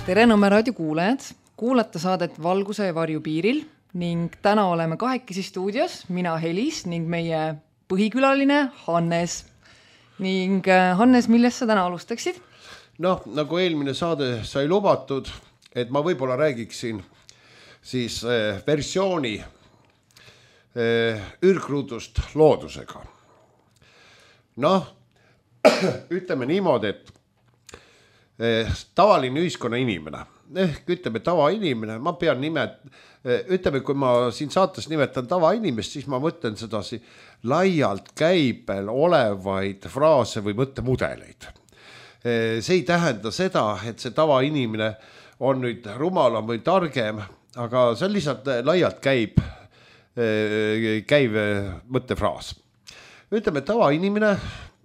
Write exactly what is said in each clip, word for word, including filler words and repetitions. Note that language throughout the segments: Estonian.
tere Nõmme raadio kuulajad, kuulata saadet Valguse ja varju piiril ning täna oleme kahekesi stuudios, mina Helis ning meie põhikülaline Hannes. Ning Hannes, millest sa täna alustaksid? Noh, nagu eelmine saade sai lubatud, et ma võib-olla räägiksin siis eh, versiooni eh, ürgruudust loodusega. Noh, ütleme niimoodi, et eh, tavaline ühiskonna inimene, ehk ütleme tavainimene, ma pean nimet, eh, ütleme, kui ma siin saates nimetan tavainimest, siis ma mõtlen sedasi laialt käibel olevaid fraase või mõttemudeleid. Eh, see ei tähenda seda, et see tavainimene on nüüd rumalam või targem, aga see on lihtsalt laialt käib, eh, käiv mõttefraas. Ütleme, tavainimine,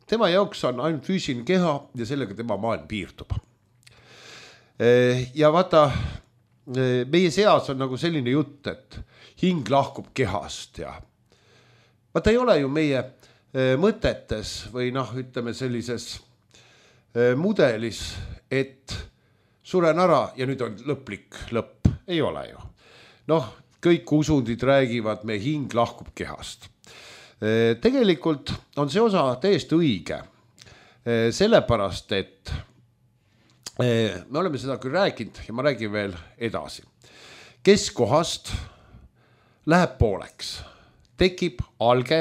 tema jaoks on ainult füüsiline keha ja sellega tema maailm piirdub. Ja vaata, meie seas on nagu selline jutt, et hing lahkub kehast ja vaata ei ole ju meie mõtetes või noh, ütleme sellises mudelis, et suren ära ja nüüd on lõplik lõpp. Ei ole ju. Noh, kõik usundid räägivad, meie hing lahkub kehast. Tegelikult on see osa täiesti õige, sellepärast, et me oleme seda küll rääkinud ja ma räägin veel edasi. Keskkohast läheb pooleks, tekib alge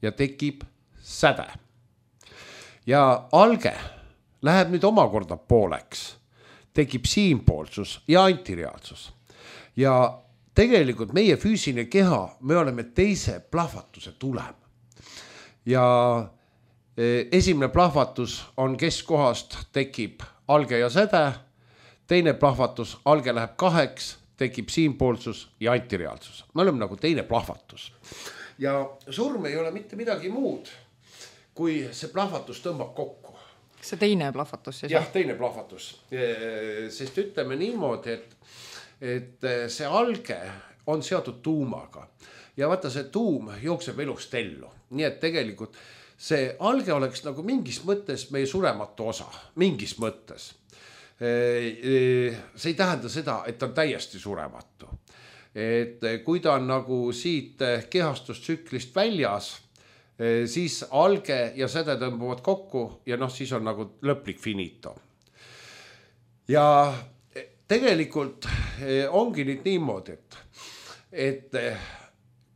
ja tekib säde. Ja alge läheb nüüd omakorda pooleks, tekib siinpoolsus ja antireaalsus. Ja tegelikult meie füüsiline keha, me oleme teise plahvatuse tulem. Ja esimene plahvatus on keskkohast, tekib alge ja säde, teine plahvatus, alge läheb kaheks, tekib siinpoolsus ja antireaalsus. Me oleme nagu teine plahvatus. Ja surm ei ole mitte midagi muud, kui see plahvatus tõmbab kokku. See teine plahvatus? Jah, teine plahvatus. Sest ütleme niimoodi, et et see alge on seotud tuumaga ja vaata see tuum jookseb elust ellu. Nii et tegelikult see alge oleks nagu mingis mõttes meie surematu osa, mingis mõttes. See ei tähenda seda, et ta on täiesti surematu. Et kui ta on nagu siit kehastustsüklist väljas, siis alge ja säde tõmbuvad kokku ja noh, siis on nagu lõplik finito. Ja tegelikult ongi nüüd niimoodi, et, et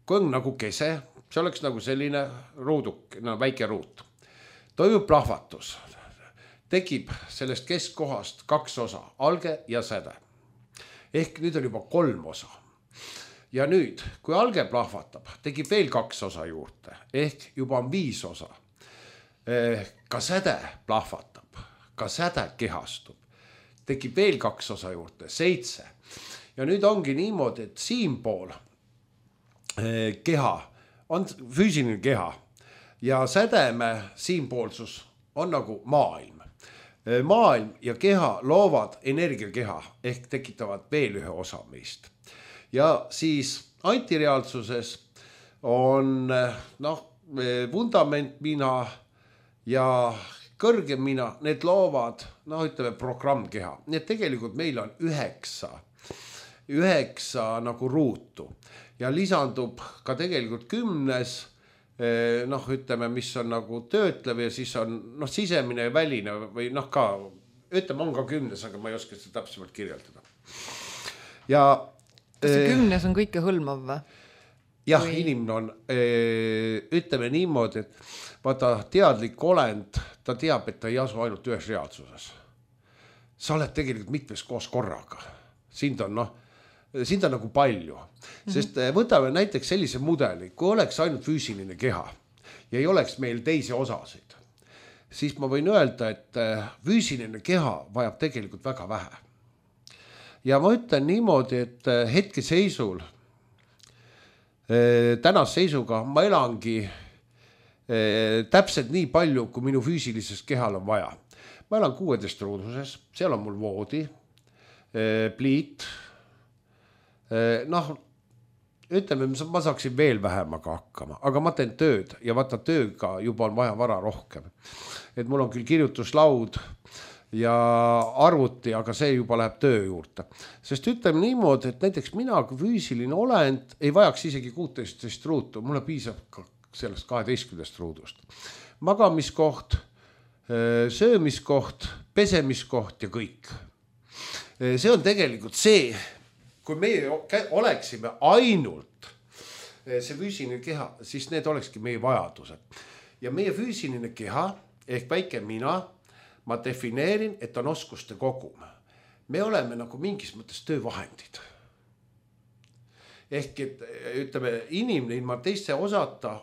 kui on nagu kese, see oleks nagu selline ruuduk, no väike ruut. Toimub plahvatus, tekib sellest keskkohast kaks osa, alge ja säde. Ehk nüüd on juba kolm osa. Ja nüüd, kui alge plahvatab, tekib veel kaks osa juurde, ehk juba on viis osa. Ka säde plahvatab, ka säde kehastub. Tekib veel kaks osa juurde, seitse. Ja nüüd ongi niimoodi, et siinpool keha on füüsiline keha ja sädeme siinpoolsus on nagu maailm. Maailm ja keha loovad energiakeha ehk tekitavad veel ühe osa meist. Ja siis antireaalsuses on noh, vundament mina ja kõrgem mina, need loovad, noh ütleme programmkeha. Nii et tegelikult meil on üheksa, üheksa nagu ruutu ja lisandub ka tegelikult kümnes, noh ütleme, mis on nagu töötlev ja siis on noh, sisemine ja väline või noh ka, ütleme on ka kümnes, aga ma ei oska seda täpsemalt kirjeldada. Ja kas see kümnes on kõike hõlmav või? Jah, või... inimene on, ütleme niimoodi, et vaata teadlik olend, ta teab, et ta ei asu ainult ühes reaalsuses. Sa oled tegelikult mitmes koos korraga. Sind on, noh, sind on nagu palju. Sest võtame näiteks sellise mudeli, kui oleks ainult füüsiline keha ja ei oleks meil teisi osasid, siis ma võin öelda, et füüsiline keha vajab tegelikult väga vähe. Ja ma ütlen niimoodi, et hetke seisul, tänas seisuga ma elangi täpselt nii palju, kui minu füüsilises kehal on vaja. Ma elan kuueteist ruuduses, seal on mul voodi, pliit. Noh, ütleme, ma saaksin veel vähemaga hakkama, aga ma teen tööd ja vaata tööga juba on vaja vara rohkem. Et mul on küll kirjutuslaud ja arvuti, aga see juba läheb töö juurde. Sest ütleme niimoodi, et näiteks mina kui füüsiline olend ei vajaks isegi kuusteist ruutu, mulle piisab ka sellest kaheteistkümnest ruudust. Magamiskoht, söömiskoht, pesemiskoht ja kõik. See on tegelikult see, kui meie oleksime ainult see füüsiline keha, siis need olekski meie vajadused. Ja meie füüsiline keha ehk väike mina, ma defineerin, et on oskuste kogum. Me oleme nagu mingis mõttes töövahendid. Ehk et ütleme, inimene ilma teiste osata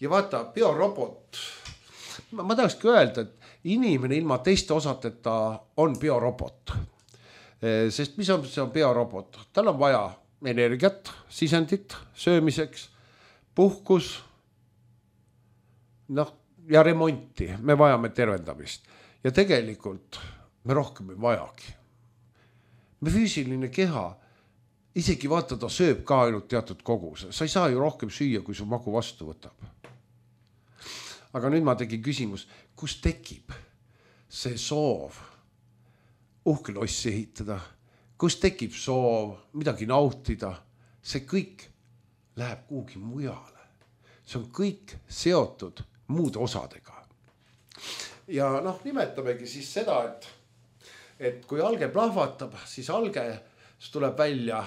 ja vaata, biorobot, ma, ma tahakski öelda, et inimene ilma teiste osateta on biorobot. Sest mis on, see on biorobot? Tal on vaja energiat, sisendit, söömiseks, puhkus, noh, ja remonti. Me vajame tervendamist. Ja tegelikult me rohkem ei vajagi. Me füüsiline keha, isegi vaata, ta sööb ka ainult teatud koguse. Sa ei saa ju rohkem süüa, kui su magu vastu võtab. Aga nüüd ma tegin küsimus, kus tekib see soov uhke lossi ehitada, kus tekib soov midagi nautida, see kõik läheb kuhugi mujale. See on kõik seotud muude osadega. Ja noh, nimetamegi siis seda, et, et kui alge plahvatab, siis alge tuleb välja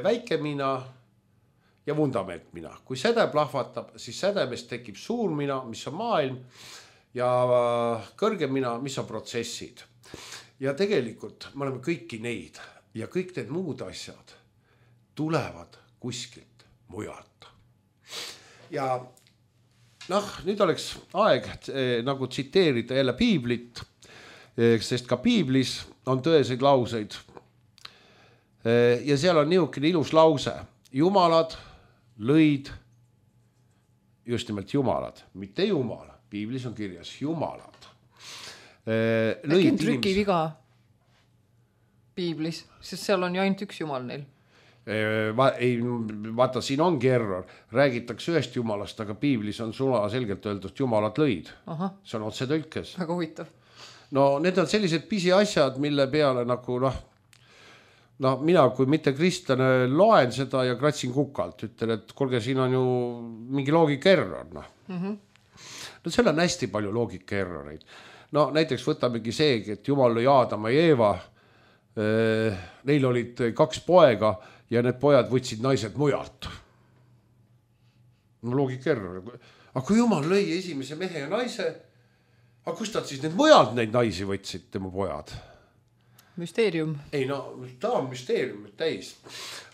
väike mina ja vundament mina. Kui säde plahvatab, siis sädemest tekib suur mina, mis on maailm, ja kõrge mina, mis on protsessid. Ja tegelikult me oleme kõiki neid ja kõik need muud asjad tulevad kuskilt mujalt. Ja noh, nüüd oleks aeg eh, nagu tsiteerida jälle piiblit, eh, sest ka piiblis on tõeseid lauseid. Eh, ja seal on niisugune ilus lause. Jumalad lõid, just nimelt jumalad, mitte jumal. Piiblis on kirjas jumalad. Eh, Äkki on trükiviga piiblis, sest seal on ju ainult üks jumal neil. Va, ei, vaata, siin ongi error. Räägitakse ühest jumalast, aga piiblis on sula selgelt öeldud, jumalad lõid. Aha. See on otse tõlkes. Väga huvitav. No need on sellised pisi asjad, mille peale nagu noh, no mina kui mitte kristlane loen seda ja kratsin kukalt. Ütlen, et kolge, siin on ju mingi loogika error. No, mm-hmm. no seal on hästi palju loogika erroreid. No näiteks võtamegi seegi, et jumal lõi Aadama ja Eeva. Neil olid kaks poega ja need pojad võtsid naised mujalt. No loogika error. Aga kui jumal lõi esimese mehe ja naise, aga kust nad siis need mujalt neid naisi võtsid, tema pojad? Müsteerium. Ei no, ta on müsteerium täis.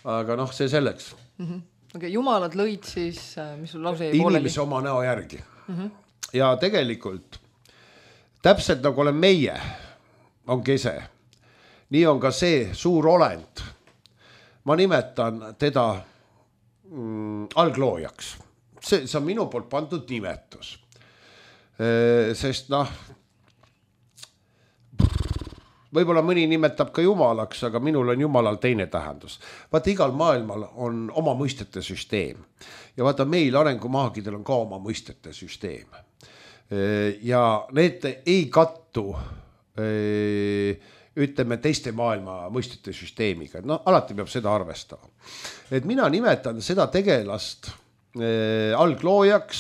Aga noh, see selleks. Mm-hmm. Okay, jumalad lõid siis, mis sul lause jäi pooleli? Inimese oma näo järgi. Mm-hmm. Ja tegelikult täpselt nagu olen meie, on kese. Nii on ka see suur olend. Ma nimetan teda mm, algloojaks. See, see on minu poolt pandud nimetus. E, sest noh, võib-olla mõni nimetab ka jumalaks, aga minul on jumalal teine tähendus. Vaata, igal maailmal on oma mõistete süsteem. Ja vaata, meil arengumaagidel on ka oma mõistete süsteem. E, ja need ei kattu e, ütleme teiste maailma mõistete süsteemiga. No alati peab seda arvestama. Et mina nimetan seda tegelast äh, algloojaks,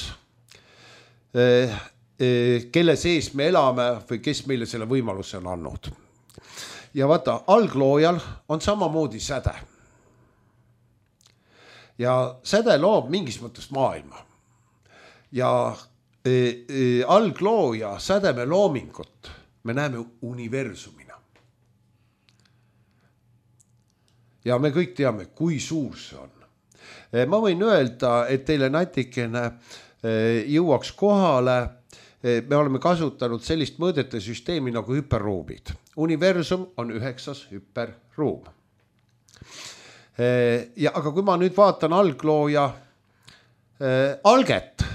äh, äh, kelle sees me elame või kes meile selle võimaluse on andnud. Ja vaata, algloojal on samamoodi säde. Ja säde loob mingis mõttes maailma. Ja äh, äh, alglooja sädeme loomingut me näeme universumina. Ja me kõik teame, kui suur see on. Ma võin öelda, et teile natikene jõuaks kohale. Me oleme kasutanud sellist mõõdete süsteemi nagu hüperruumid. Universum on üheksas hüperruum. Ja, aga kui ma nüüd vaatan alglooja alget,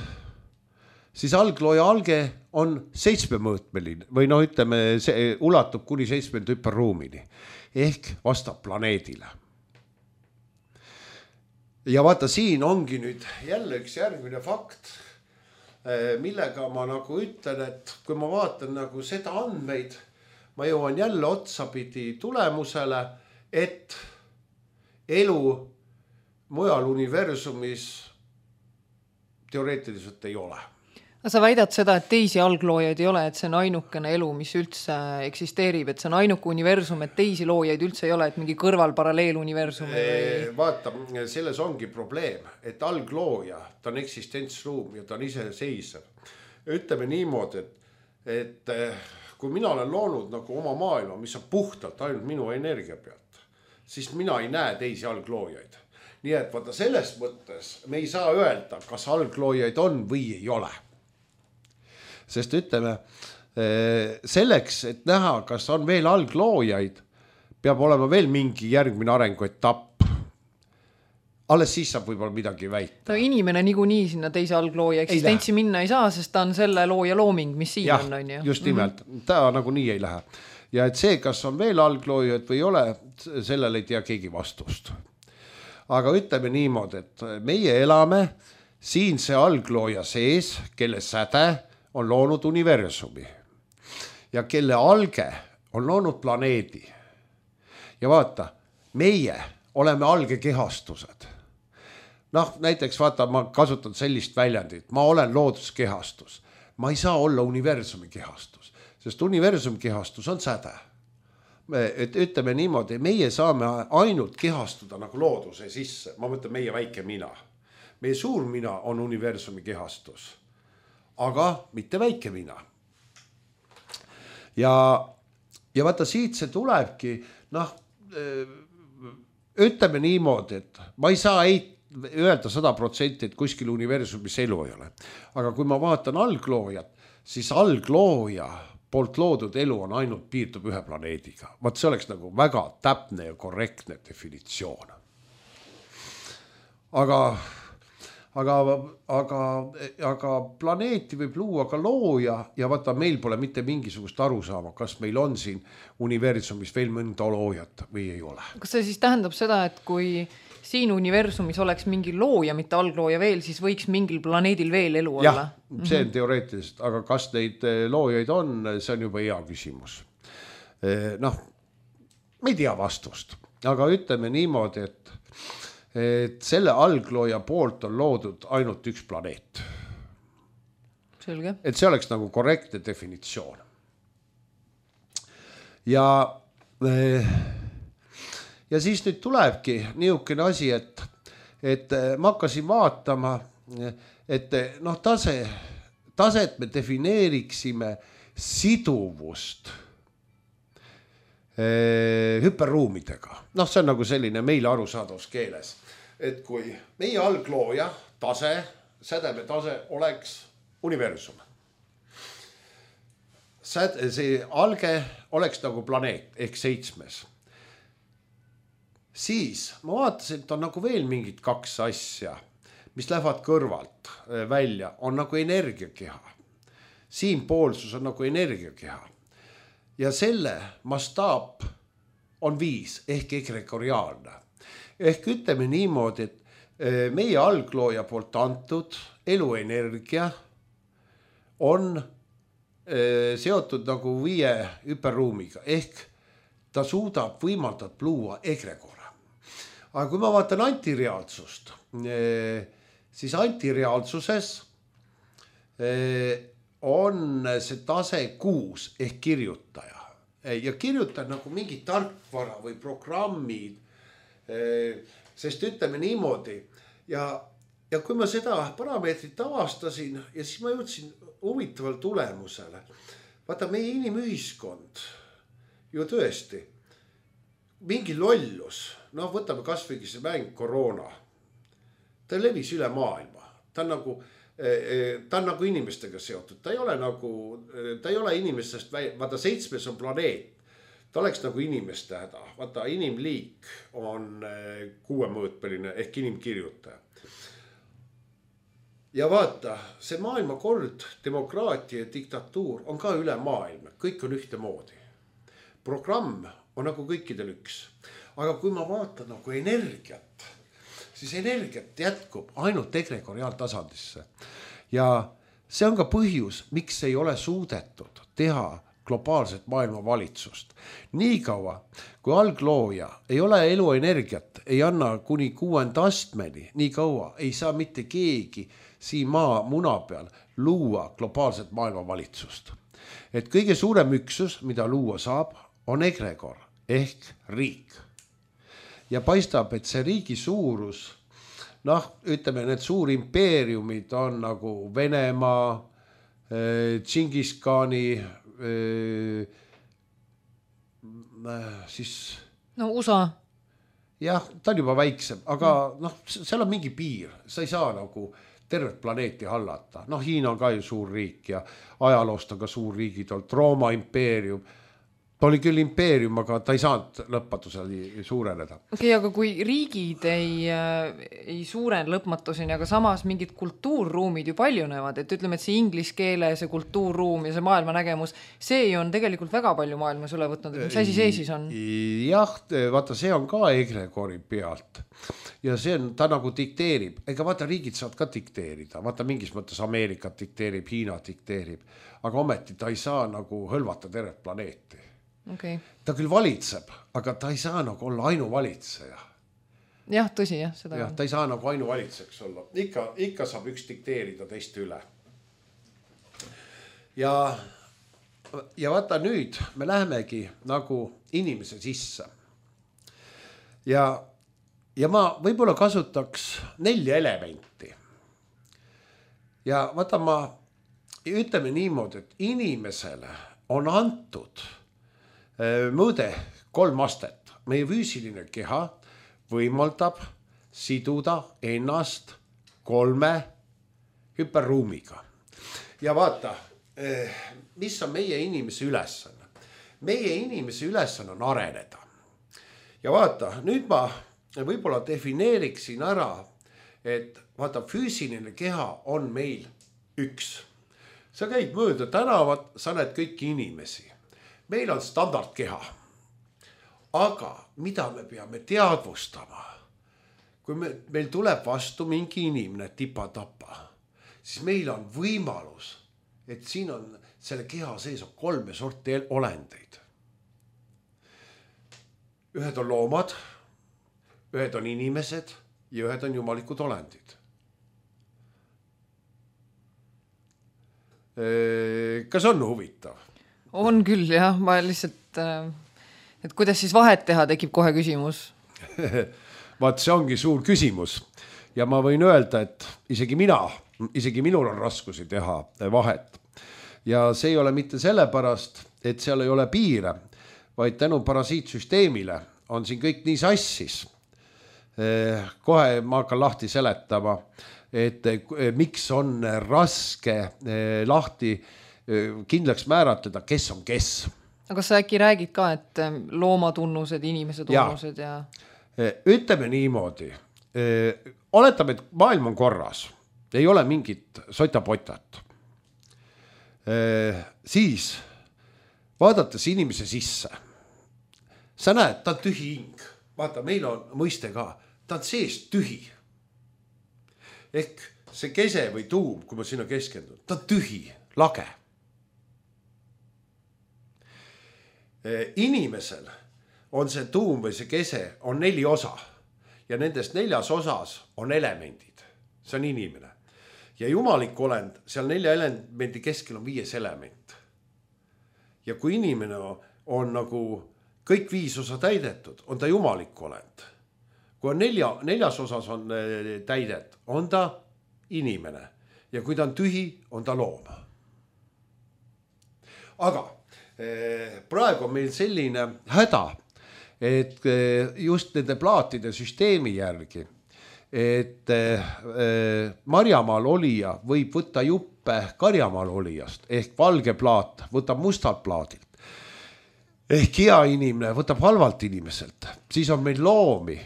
siis alglooja alge on seitsmemõõtmeline või no ütleme, see ulatub kuni seitsmend hüperruumini. Ehk vastab planeedile. Ja vaata, siin ongi nüüd jälle üks järgmine fakt, millega ma nagu ütlen, et kui ma vaatan nagu seda andmeid, ma jõuan jälle otsapidi tulemusele, et elu mujal universumis teoreetiliselt ei ole. Sa väidad seda, et teisi algloojaid ei ole, et see on ainukene elu, mis üldse eksisteerib, et see on ainuke universum, et teisi loojaid üldse ei ole, et mingi kõrval paralleeluniversum või... Vaata, selles ongi probleem, et alglooja, ta on eksistentsruum ja ta on ise seisev. Ütleme niimoodi, et, et kui mina olen loonud nagu oma maailma, mis on puhtalt ainult minu energia pealt, siis mina ei näe teisi algloojaid. Nii et vaata selles mõttes me ei saa öelda, kas algloojaid on või ei ole. Sest ütleme, selleks, et näha, kas on veel algloojaid, peab olema veel mingi järgmine arenguetapp. Alles siis saab võib-olla midagi väita. No, inimene niikuinii sinna teise alglooja eksistentsi minna ei saa, sest ta on selle looja looming, mis siin ja, on. on ju? Just nimelt, mm-hmm. ta nagu nii ei lähe. Ja et see, kas on veel algloojaid või ei ole, sellele ei tea keegi vastust. Aga ütleme niimoodi, et meie elame siin see alglooja sees, kelle säde on loonud universumi ja kelle alge on loonud planeedi. Ja vaata, meie oleme algekehastused. Noh, näiteks vaata, ma kasutan sellist väljendit, ma olen looduskehastus. Ma ei saa olla universumi kehastus, sest universumi kehastus on säde. Et ütleme niimoodi, meie saame ainult kehastuda nagu looduse sisse. Ma mõtlen meie väike mina. Meie suur mina on universumi kehastus. Aga mitte väike mina. Ja, ja vaata siit see tulebki, noh, ütleme niimoodi, et ma ei saa ei öelda sada protsenti, et kuskil universumis elu ei ole. Aga kui ma vaatan algloojat, siis alglooja poolt loodud elu on ainult piirdub ühe planeediga. Vaat see oleks nagu väga täpne ja korrektne definitsioon. Aga... Aga, aga, aga planeeti võib luua ka looja ja vaata, meil pole mitte mingisugust aru saama, kas meil on siin universumis veel mõnda loojat või ei ole. Kas see siis tähendab seda, et kui siin universumis oleks mingi looja, mitte alglooja veel, siis võiks mingil planeedil veel elu olla? Jah, see on teoreetiliselt, aga kas neid loojaid on, see on juba hea küsimus. Noh, me ei tea vastust, aga ütleme niimoodi, et et selle alglooja poolt on loodud ainult üks planeet. Selge. Et see oleks nagu korrektne definitsioon. Ja, ja siis nüüd tulebki niisugune asi, et, et ma hakkasin vaatama, et noh, tase, taset me defineeriksime siduvust hüperruumidega. Noh, see on nagu selline meile arusaadavas keeles. Et kui meie alglooja tase, sädeme tase oleks universum. Säde, see alge oleks nagu planeet ehk seitsmes. Siis ma vaatasin, et on nagu veel mingid kaks asja, mis lähevad kõrvalt välja, on nagu energiakeha. Siin poolsus on nagu energiakeha. Ja selle mastaap on viis ehk egregoriaalne. Ehk ütleme niimoodi, et meie alglooja poolt antud eluenergia on seotud nagu viie hüperruumiga. Ehk ta suudab võimaldab luua egregora. Aga kui ma vaatan antireaalsust, siis antireaalsuses on see tase kuus ehk kirjutaja. Ja kirjutan nagu mingi tarkvara või programmid, sest ütleme niimoodi. Ja, ja kui ma seda parameetrit avastasin ja siis ma jõudsin huvitaval tulemusele. Vaata, meie inimühiskond ju tõesti mingi lollus, noh võtame kas või see mäng koroona. Ta levis üle maailma. Ta on nagu ta on nagu inimestega seotud, ta ei ole nagu, ta ei ole inimestest, vaata seitsmes on planeet, ta oleks nagu inimeste häda, vaata inimliik on kuuemõõtmeline ehk inimkirjutaja. Ja vaata, see maailmakord, demokraatia ja diktatuur on ka üle maailma, kõik on ühte moodi. Programm on nagu kõikidel üks, aga kui ma vaatan nagu energiat, siis energiat jätkub ainult egregoriaaltasandisse. Ja see on ka põhjus, miks ei ole suudetud teha globaalset maailmavalitsust. Nii kaua, kui alglooja ei ole eluenergiat, ei anna kuni kuuenda astmeni, nii kaua ei saa mitte keegi siin maa muna peal luua globaalset maailmavalitsust. Et kõige suurem üksus, mida luua saab, on egregor ehk riik. Ja paistab, et see riigi suurus, noh, ütleme, need suur impeeriumid on nagu Venemaa, Tšingiskani, siis... No U S A. Jah, ta on juba väiksem, aga noh, seal on mingi piir, sa ei saa nagu tervet planeeti hallata. Noh, Hiina on ka ju suur riik ja ajaloost on ka suur riigid olnud, Rooma impeerium. Ta oli küll impeerium, aga ta ei saanud lõpmatusel suureneda. Okei, okay, aga kui riigid ei, ei suuren lõpmatuseni, aga samas mingid kultuurruumid ju paljunevad, et ütleme, et see ingliskeele, see kultuurruum ja see maailmanägemus, see on tegelikult väga palju maailmas üle võtnud. Mis asi see siis on? Jah, vaata, see on ka egregori pealt. Ja see on, ta nagu dikteerib. Ega vaata, riigid saad ka dikteerida. Vaata, mingis mõttes Ameerikat dikteerib, Hiina dikteerib. Aga ometi ta ei saa nagu hõlvata tervet planeeti. Okay. Ta küll valitseb, aga ta ei saa nagu olla ainuvalitseja. Jah, tõsi, jah. Seda jah, ta ei saa nagu ainuvalitseks olla. Ikka, ikka saab üks dikteerida teist üle. Ja, ja vaata nüüd, me lähemegi nagu inimese sisse. Ja, ja ma võib-olla kasutaks nelja elementi. Ja vaata, ma ütleme niimoodi, et inimesele on antud mõõde kolm astet. Meie füüsiline keha võimaldab siduda ennast kolme hüperruumiga. Ja vaata, mis on meie inimese ülesanne? Meie inimese ülesanne on areneda. Ja vaata, nüüd ma võib-olla defineeriksin ära, et vaata, füüsiline keha on meil üks. Sa käid mööda tänavat, sa näed kõiki inimesi. Meil on standardkeha, aga mida me peame teadvustama? Kui me, meil tuleb vastu mingi inimene tipa-tapa, siis meil on võimalus, et siin on selle keha sees on kolme sorti olendeid. Ühed on loomad, ühed on inimesed ja ühed on jumalikud olendid. Kas on huvitav? On küll, jah. Ma lihtsalt, et kuidas siis vahet teha, tekib kohe küsimus. Vaat see ongi suur küsimus. Ja ma võin öelda, et isegi mina, isegi minul on raskusi teha vahet. Ja see ei ole mitte sellepärast, et seal ei ole piire, vaid tänu parasiitsüsteemile on siin kõik nii sassis. Kohe ma hakkan lahti seletama, et miks on raske lahti kindlaks määratleda, kes on kes. Aga sa äkki räägid ka, et loomatunnused, inimese tunnused ja... ja... Ütleme niimoodi. Oletame, et maailm on korras. Ei ole mingit sotapotat. Siis, vaadates inimese sisse, sa näed, ta on tühi hing. Vaata, meil on mõiste ka. Ta on sees tühi. Ehk see kese või tuum, kui ma sinna keskendun, ta on tühi, lage. Inimesel on see tuum või see kese on neli osa ja nendest neljas osas on elemendid. See on inimene. Ja jumalik olend, seal nelja elemendi keskel on viies element. Ja kui inimene on nagu kõik viis osa täidetud, on ta jumalik olend. Kui on nelja, neljas osas on täidet, on ta inimene. Ja kui ta on tühi, on ta loom. Aga praegu on meil selline häda, et just nende plaatide süsteemi järgi, et marjamaal olija võib võtta juppe karjamaal olijast, ehk valge plaat võtab mustalt plaadilt, ehk hea inimene võtab halvalt inimeselt. Siis on meil loomi,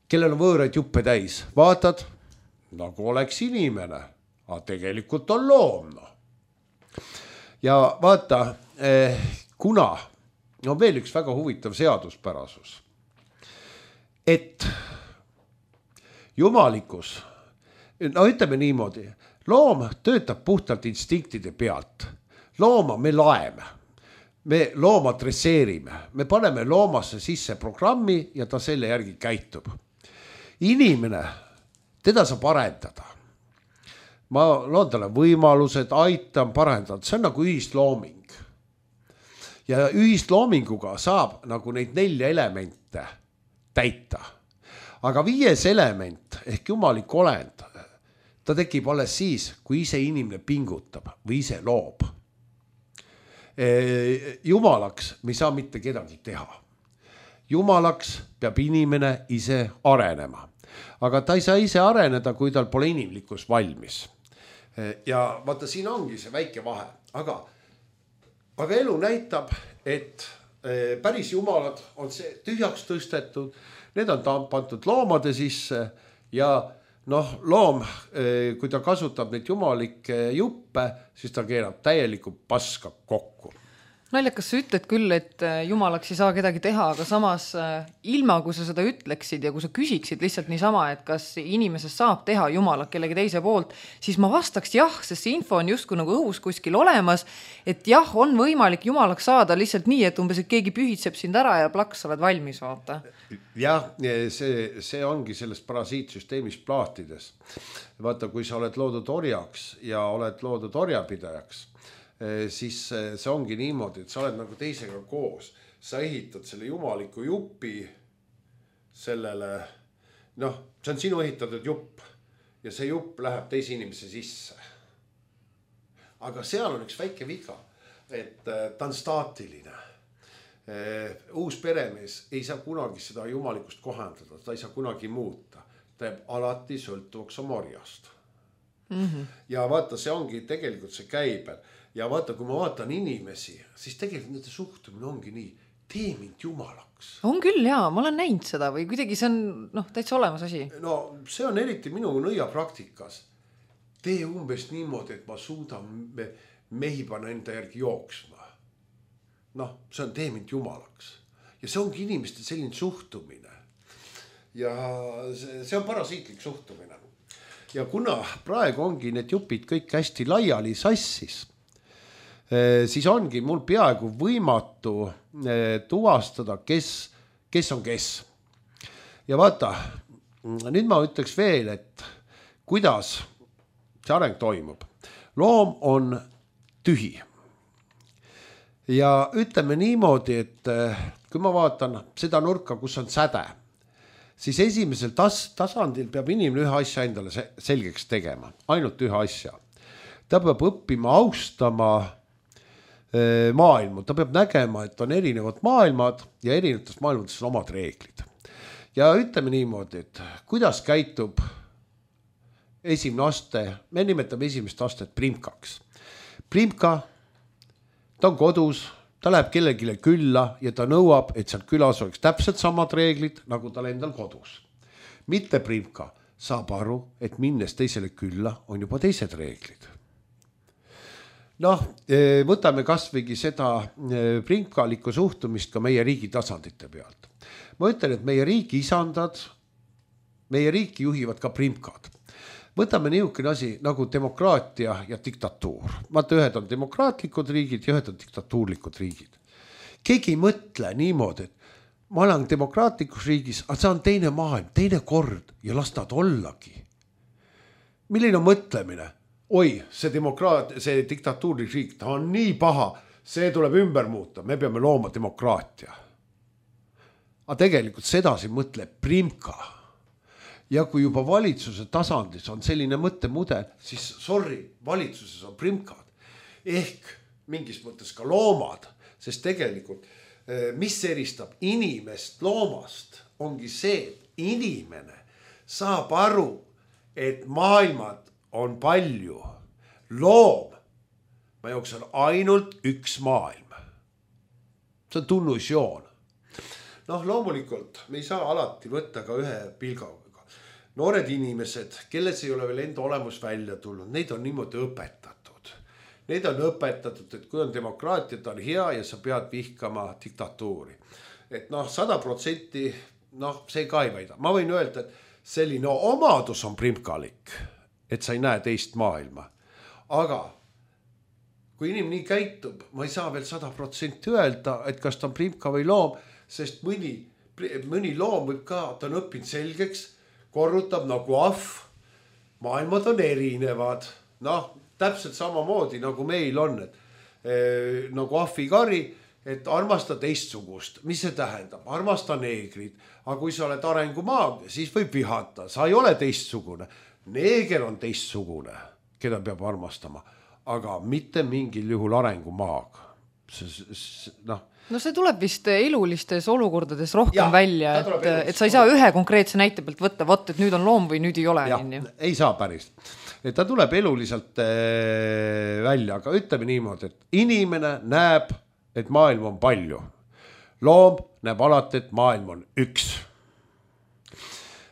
kellel on võõraid juppe täis. Vaatad, nagu oleks inimene, aga tegelikult on loom. No. Ja vaata, kuna on veel üks väga huvitav seaduspärasus, et jumalikus, no ütleme niimoodi, loom töötab puhtalt instinktide pealt. looma me laeme, me looma dresseerime, me paneme loomasse sisse programmi ja ta selle järgi käitub. Inimene, teda saab arendada. Ma loon talle võimalused, aitan, parendada, see on nagu ühislooming. Ja ühisloominguga saab nagu neid nelja elemente täita. Aga viies element ehk jumalik olend, ta tekib alles siis, kui ise inimene pingutab või ise loob. Jumalaks me ei saa mitte kedagi teha. Jumalaks peab inimene ise arenema. Aga ta ei saa ise areneda, kui tal pole inimlikkus valmis. Ja vaata, siin ongi see väike vahe. Aga, aga elu näitab, et päris jumalad on see tühjaks tõstetud, need on pandud loomade sisse ja noh, loom, kui ta kasutab neid jumalikke juppe, siis ta keerab täielikult paska kokku. Naljakas sa ütled küll, et jumalaks ei saa kedagi teha, aga samas ilma, kui sa seda ütleksid ja kui sa küsiksid lihtsalt niisama, et kas inimesest saab teha jumalak kellegi teise poolt, siis ma vastaks jah, sest see info on justkui nagu õhus kuskil olemas, et jah, on võimalik jumalaks saada lihtsalt nii, et umbes, et keegi pühitseb sind ära ja plaks oled valmis, vaata. Jah, see, see ongi sellest parasiitsüsteemist plaatides. Vaata, kui sa oled loodud orjaks ja oled loodud orjapidajaks, siis see ongi niimoodi, et sa oled nagu teisega koos. Sa ehitad selle jumaliku jupi sellele, noh, see on sinu ehitatud jupp ja see jupp läheb teise inimese sisse. Aga seal on üks väike viga, et ta on staatiline. Uus peremees ei saa kunagi seda jumalikust kohendada, ta ei saa kunagi muuta. Ta jääb alati sõltuvaks oma orjast. Mm-hmm. Ja vaata, see ongi tegelikult see käibel. Ja vaata, kui ma vaatan inimesi, siis tegelikult nende suhtumine ongi nii, tee mind jumalaks. On küll, jaa, ma olen näinud seda või kuidagi see on noh, täitsa olemas asi. No see on eriti minu nõia praktikas. Tee umbes niimoodi, et ma suudan mehi panna enda järgi jooksma. Noh, see on tee mind jumalaks. Ja see ongi inimeste selline suhtumine. Ja see on parasiitlik suhtumine. Ja kuna praegu ongi need jupid kõik hästi laiali sassis, siis ongi mul peaaegu võimatu tuvastada, kes, kes on kes. Ja vaata, nüüd ma ütleks veel, et kuidas see areng toimub. Loom on tühi. Ja ütleme niimoodi, et kui ma vaatan seda nurka, kus on säde, siis esimesel tas- tasandil peab inimene ühe asja endale selgeks tegema. Ainult ühe asja. Ta peab õppima austama maailma. Ta peab nägema, et on erinevad maailmad ja erinevates maailmades on omad reeglid. Ja ütleme niimoodi, et kuidas käitub esimene aste, me nimetame esimest astet primkaks. Primka, ta on kodus, ta läheb kellegile külla ja ta nõuab, et seal külas oleks täpselt samad reeglid, nagu tal endal kodus. Mitte primka saab aru, et minnes teisele külla on juba teised reeglid. Noh, võtame kasvõigi seda primkalikku suhtumist ka meie riigi tasandite pealt. Ma ütlen, et meie riigi isandad, meie riiki juhivad ka primkad. Võtame niisugune asi nagu demokraatia ja diktatuur. Vaata, ühed on demokraatlikud riigid ja ühed on diktatuurlikud riigid. Keegi ei mõtle niimoodi, et ma olen demokraatlikus riigis, aga see on teine maailm, teine kord ja las nad ollagi. Milline on mõtlemine? Oi, see demokraat, see diktatuurlik riik, ta on nii paha, see tuleb ümber muuta, me peame looma demokraatia. Aga tegelikult sedasi mõtleb primka. Ja kui juba valitsuse tasandis on selline mõttemudel, siis sorry, valitsuses on primkad. Ehk mingis mõttes ka loomad, sest tegelikult mis eristab inimest loomast, ongi see, et inimene saab aru, et maailmad on palju. Loom, ma jooksen ainult üks maailm. See on tunnusjoon. Noh, loomulikult me ei saa alati võtta ka ühe pilgaga. Noored inimesed, kelles ei ole veel enda olemus välja tulnud, neid on niimoodi õpetatud. Neid on õpetatud, et kui on demokraatia, ta on hea ja sa pead vihkama diktatuuri. Et noh, sada protsenti, noh, see ka ei väida. Ma võin öelda, et selline omadus on primkalik, et sa ei näe teist maailma. Aga kui inimene nii käitub, ma ei saa veel sada protsenti öelda, et kas ta on primka või loom, sest mõni, mõni loom võib ka, ta on õppinud selgeks, korrutab nagu ahv, maailmad on erinevad, noh, täpselt samamoodi nagu meil on, et eh, nagu ahvikari, et armasta teistsugust, mis see tähendab, armasta neegrid, aga kui sa oled arengumaag, siis võib vihata, sa ei ole teistsugune, neeger on teistsugune, keda peab armastama, aga mitte mingil juhul arengumaag. Noh. No see tuleb vist elulistes olukordades rohkem ja, välja, et, et sa ei saa olukord. Ühe konkreetse näite pealt võtta, võtta, et nüüd on loom või nüüd ei ole. Ja, ei saa päris. Et ta tuleb eluliselt äh, välja, aga ütleme niimoodi, et inimene näeb, et maailm on palju. Loom näeb alati, et maailm on üks.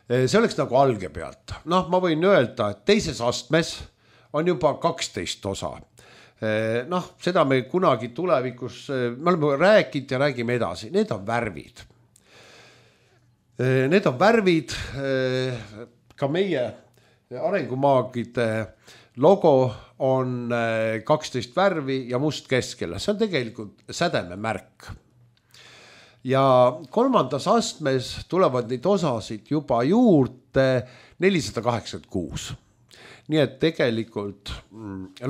See oleks nagu alge pealt. Noh, ma võin öelda, et teises astmes on juba kaksteist osa. Noh, seda me kunagi tulevikus, me oleme rääkinud ja räägime edasi. Need on värvid. Need on värvid, ka meie arengumaagide logo on kaksteist värvi ja must keskele. See on tegelikult sädeme märk. Ja kolmandas astmes tulevad neid osasid juba juurde nelisada kaheksakümmend kuus. Nii et tegelikult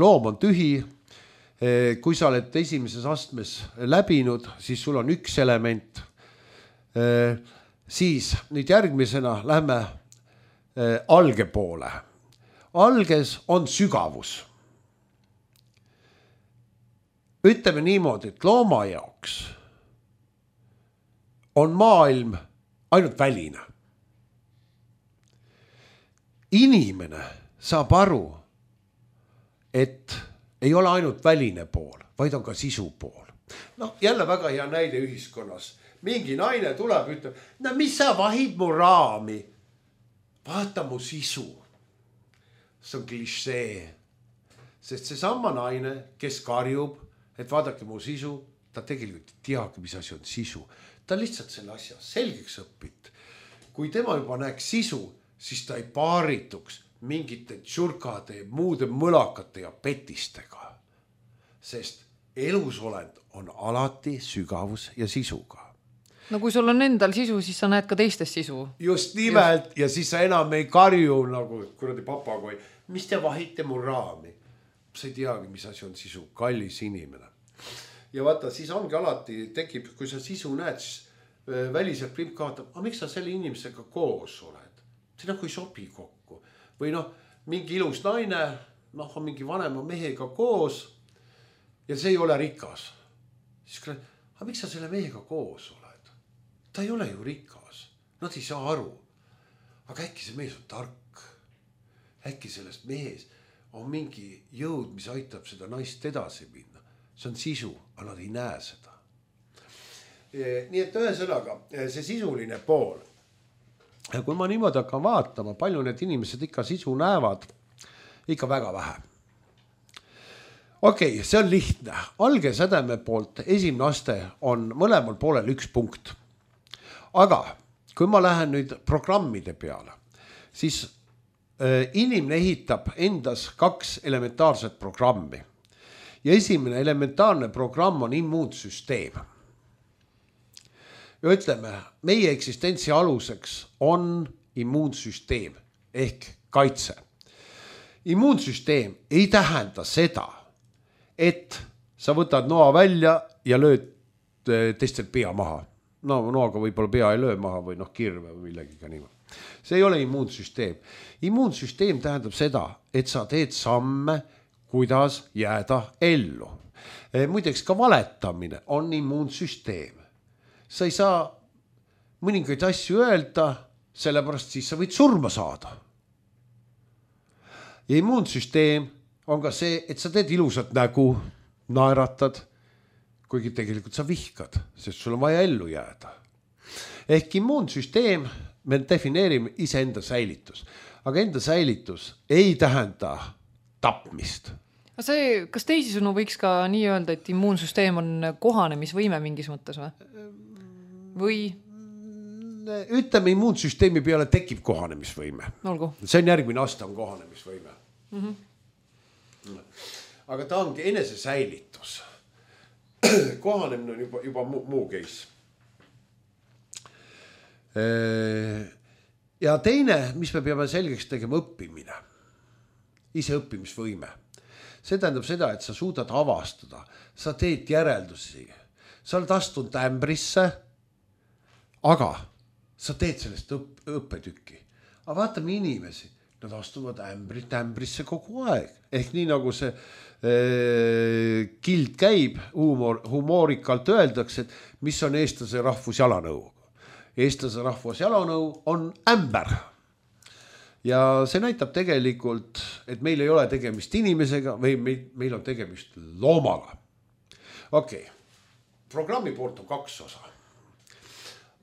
loom on tühi. Kui sa oled esimeses astmes läbinud, siis sul on üks element. Siis nüüd järgmisena lähme alge poole. Alges on sügavus. Ütleme niimoodi, et looma jaoks on maailm ainult väline. Inimene saab aru, et ei ole ainult väline pool, vaid on ka sisu pool. No jälle väga hea näide ühiskonnas. Mingi naine tuleb, ütleb, no mis sa vahid mu raami? Vaata mu sisu. See on klišee. Sest see sama naine, kes karjub, et vaadake mu sisu, ta tegelikult ei teagi, mis asi on sisu. Ta lihtsalt selle asja selgeks õpit. Kui tema juba näeks sisu, siis ta ei paarituks mingite tšurkade, muude mõlakate ja petistega. Sest elusolend on alati sügavus ja sisuga. No kui sul on endal sisu, siis sa näed ka teistes sisu. Just nimelt, ja siis sa enam ei karju nagu kuradi papagoi. Mis te vahite mu raami? Sa ei teagi, mis asi on sisu, kallis inimene. Ja vaata, siis ongi alati tekib, kui sa sisu näed, siis väliselt primp kaatab, aga miks sa selle inimesega koos oled? See nagu ei sobi kokku. Või noh, mingi ilus naine, noh, on mingi vanema mehega koos ja see ei ole rikas. Siis küll, aga miks sa selle mehega koos oled? Ta ei ole ju rikas. Nad ei saa aru. Aga äkki see mees on tark. Äkki sellest mees on mingi jõud, mis aitab seda naist edasi minna. See on sisu, aga nad ei näe seda. Nii et ühesõnaga, see sisuline pool. Ja kui ma niimoodi hakkan vaatama, palju need inimesed ikka sisu näevad, ikka väga vähe. Okei, okay, see on lihtne. Alge sädeme poolt esimene aste on mõlemal poolel üks punkt. Aga kui ma lähen nüüd programmide peale, siis inimene ehitab endas kaks elementaarset programmi. Ja esimene elementaarne programm on immuunsüsteem. Ja ütleme, meie eksistentsi aluseks on immuunsüsteem ehk kaitse. Immuunsüsteem ei tähenda seda, et sa võtad noa välja ja lööd teistel pea maha. No noaga võib-olla pea ei löö maha või noh kirve või millegiga niimoodi. See ei ole immuunsüsteem. Immuunsüsteem tähendab seda, et sa teed samme, kuidas jääda ellu. Muideks ka valetamine on immuunsüsteem. Sa ei saa mõningaid asju öelda, sellepärast siis sa võid surma saada. Ja immuunsüsteem on ka see, et sa teed ilusat nägu, naeratad, kuigi tegelikult sa vihkad, sest sul on vaja ellu jääda. Ehk immuunsüsteem, me defineerime iseenda säilitus. Aga enda säilitus ei tähenda tapmist. See, kas teisisõnu võiks ka nii öelda, et immuunsüsteem on kohanemisvõime mingis mõttes või? Või? Ütleme, immuunsüsteemi peale tekib kohanemisvõime. Olgu. See on järgmine aste on kohanemisvõime. Mm-hmm. aga ta ongi enesesäilitus. Kohanemine on juba, juba muu, muu case. Ja teine, mis me peame selgeks tegema, õppimine. Ise õppimisvõime. See tähendab seda, et sa suudad avastada, sa teed järeldusi, sa oled astunud ämbrisse, aga sa teed sellest õpp, õppetükki. Aga vaatame inimesi, nad astuvad ämbrit ämbrisse kogu aeg. Ehk nii nagu see äh, kild käib, humor, humoorikalt öeldakse, et mis on eestlase rahvusjalanõu. Eestlase rahvusjalanõu on ämber. Ja see näitab tegelikult, et meil ei ole tegemist inimesega või meil on tegemist loomaga. Okei, okay. Programmi poolt on kaks osa.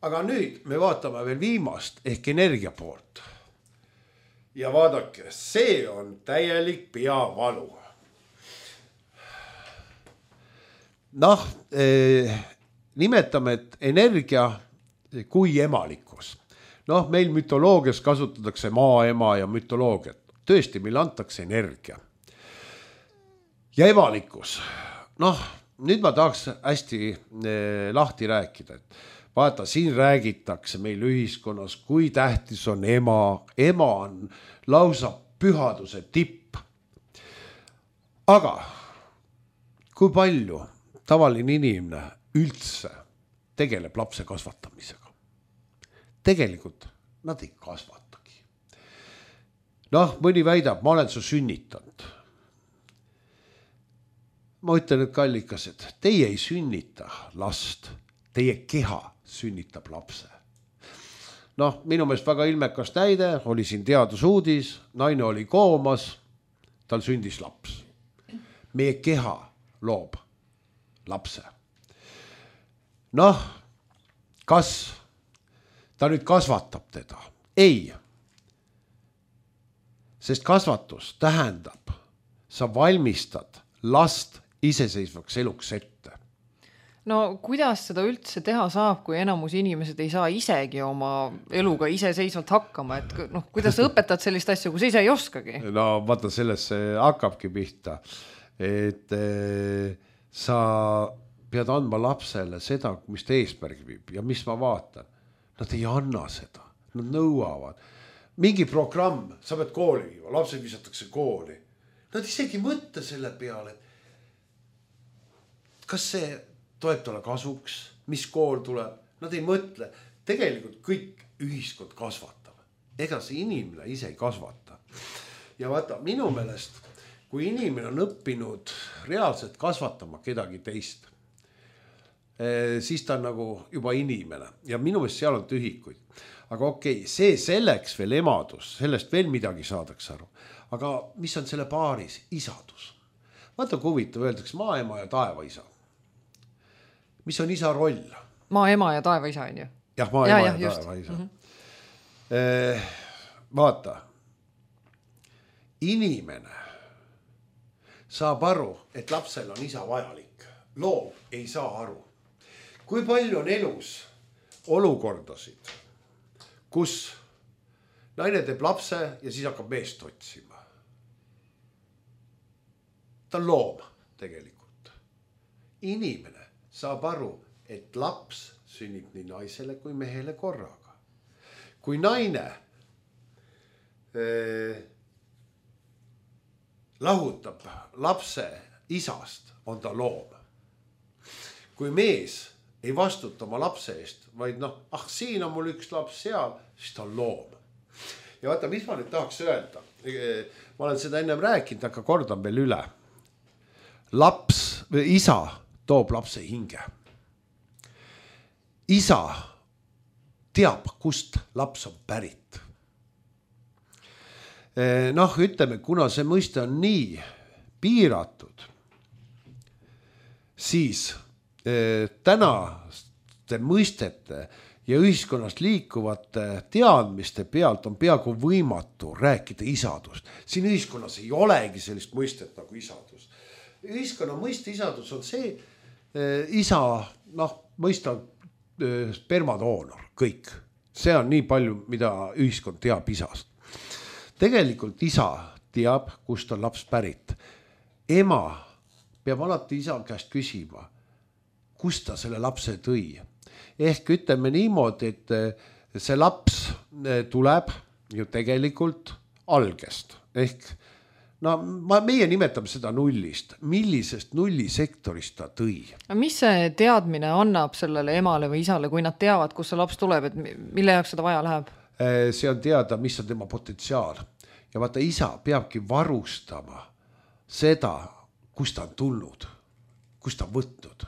Aga nüüd me vaatame veel viimast ehk energia poolt. Ja vaadake, see on täielik peavalu. Noh, eh, nimetame, et energia kui emalikkus. Noh, meil mütoloogias kasutatakse maaema ja mütoloogiat. Tõesti, meil antakse energia. Ja emalikkus. Noh, nüüd ma tahaks hästi eh, lahti rääkida, et vaata, siin räägitakse meil ühiskonnas, kui tähtis on ema. Ema on lausa pühaduse tipp. Aga kui palju tavaline inimene üldse tegeleb lapse kasvatamisega? Tegelikult nad ei kasvatagi. Noh, mõni väidab, ma olen su sünnitanud. Ma ütlen, et kallikas, et teie ei sünnita last, teie keha sünnitab lapse. Noh, minu meelest väga ilmekas näide, oli siin teadusuudis, naine oli koomas, tal sündis laps. Meie keha loob lapse. Noh, kas ta nüüd kasvatab teda? Ei. Sest kasvatus tähendab, sa valmistad last iseseisvaks eluks ette. No kuidas seda üldse teha saab, kui enamus inimesed ei saa isegi oma eluga iseseisvalt hakkama, et noh, kuidas õpetad sellist asja, kui sa ise ei oskagi? No vaata, sellest hakkabki pihta, et eh, sa pead andma lapsele seda, mis ta eesmärgi viib ja mis ma vaatan. Nad ei anna seda, nad nõuavad. Mingi programm, sa pead kooli viima, lapsed visatakse kooli. Nad isegi mõtte selle peale, kas see toeb talle kasuks, mis kool tuleb. Nad ei mõtle, tegelikult kõik ühiskond kasvatab. Ega see inimene ise ei kasvata. Ja vaata, minu meelest, kui inimene on õppinud reaalselt kasvatama kedagi teist, siis ta on nagu juba inimene ja minu meelest seal on tühikuid. Aga okei, okay, see selleks veel emadus, sellest veel midagi saadakse aru. Aga mis on selle paaris? Isadus. Vaata, kui huvitav, öeldakse maaema ja taevaisa. Mis on isa roll? Maaema ja taevaisa on ju? Jah, maaema ja, ja taevaisa. Mm-hmm. Eh, vaata, inimene saab aru, et lapsel on isa vajalik. Loom ei saa aru. Kui palju on elus olukordasid, kus naine teeb lapse ja siis hakkab meest otsima. Ta on loom tegelikult. Inimene saab aru, et laps sünnib nii naisele kui mehele korraga. Kui naine eh, lahutab lapse isast, on ta loom. Kui mees ei vastuta oma lapse eest, vaid noh, ah, siin on mul üks laps seal, siis ta on loom. Ja vaata, mis ma nüüd tahaks öelda. Ma olen seda ennem rääkinud, aga kordan veel üle. Laps või isa toob lapse hinge. Isa teab, kust laps on pärit. Noh, ütleme, kuna see mõiste on nii piiratud, siis tänaste mõistete ja ühiskonnast liikuvate teadmiste pealt on peaaegu võimatu rääkida isadust. Siin ühiskonnas ei olegi sellist mõistet nagu isadus. Ühiskonna mõiste isadus on see eh, isa, noh, mõista eh, spermadoonor, kõik. See on nii palju, mida ühiskond teab isast. Tegelikult isa teab, kust on laps pärit. ema peab alati isa käest küsima, kust ta selle lapse tõi. Ehk ütleme niimoodi, et see laps tuleb ju tegelikult algest. Ehk no ma, meie nimetame seda nullist. Millisest nullisektorist ta tõi? Mis see teadmine annab sellele emale või isale, kui nad teavad, kus see laps tuleb, et mille jaoks seda vaja läheb? See on teada, mis on tema potentsiaal. Ja vaata, isa peabki varustama seda, kust ta on tulnud, kust ta on võtnud.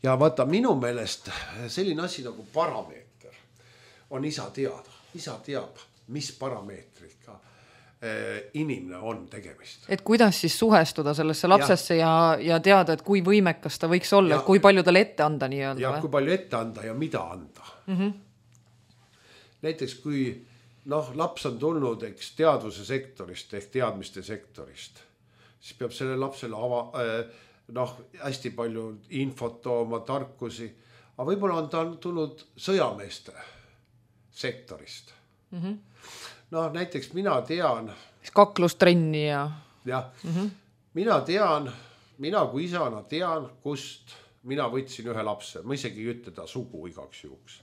Ja vaata, minu meelest selline asi nagu parameeter on isa teada. Isa teab, mis parameetrika inimene on tegemist. Et kuidas siis suhestuda sellesse lapsesse ja, ja, ja teada, et kui võimekas ta võiks olla, ja, et kui palju talle ette anda nii öelda. Ja või? Kui palju ette anda ja mida anda. Mm-hmm. Näiteks kui noh, laps on tulnud eks, teadvuse sektorist ehk teadmiste sektorist, siis peab selle lapsele ava, noh, hästi palju infot tooma, tarkusi, aga võib-olla on ta tulnud sõjameeste sektorist. Mm-hmm. No näiteks mina tean kaklustrenni ja jah, mm-hmm. mina tean mina kui isana tean, kust mina võtsin ühe lapse, ma isegi ei ütle ta sugu igaks juhuks.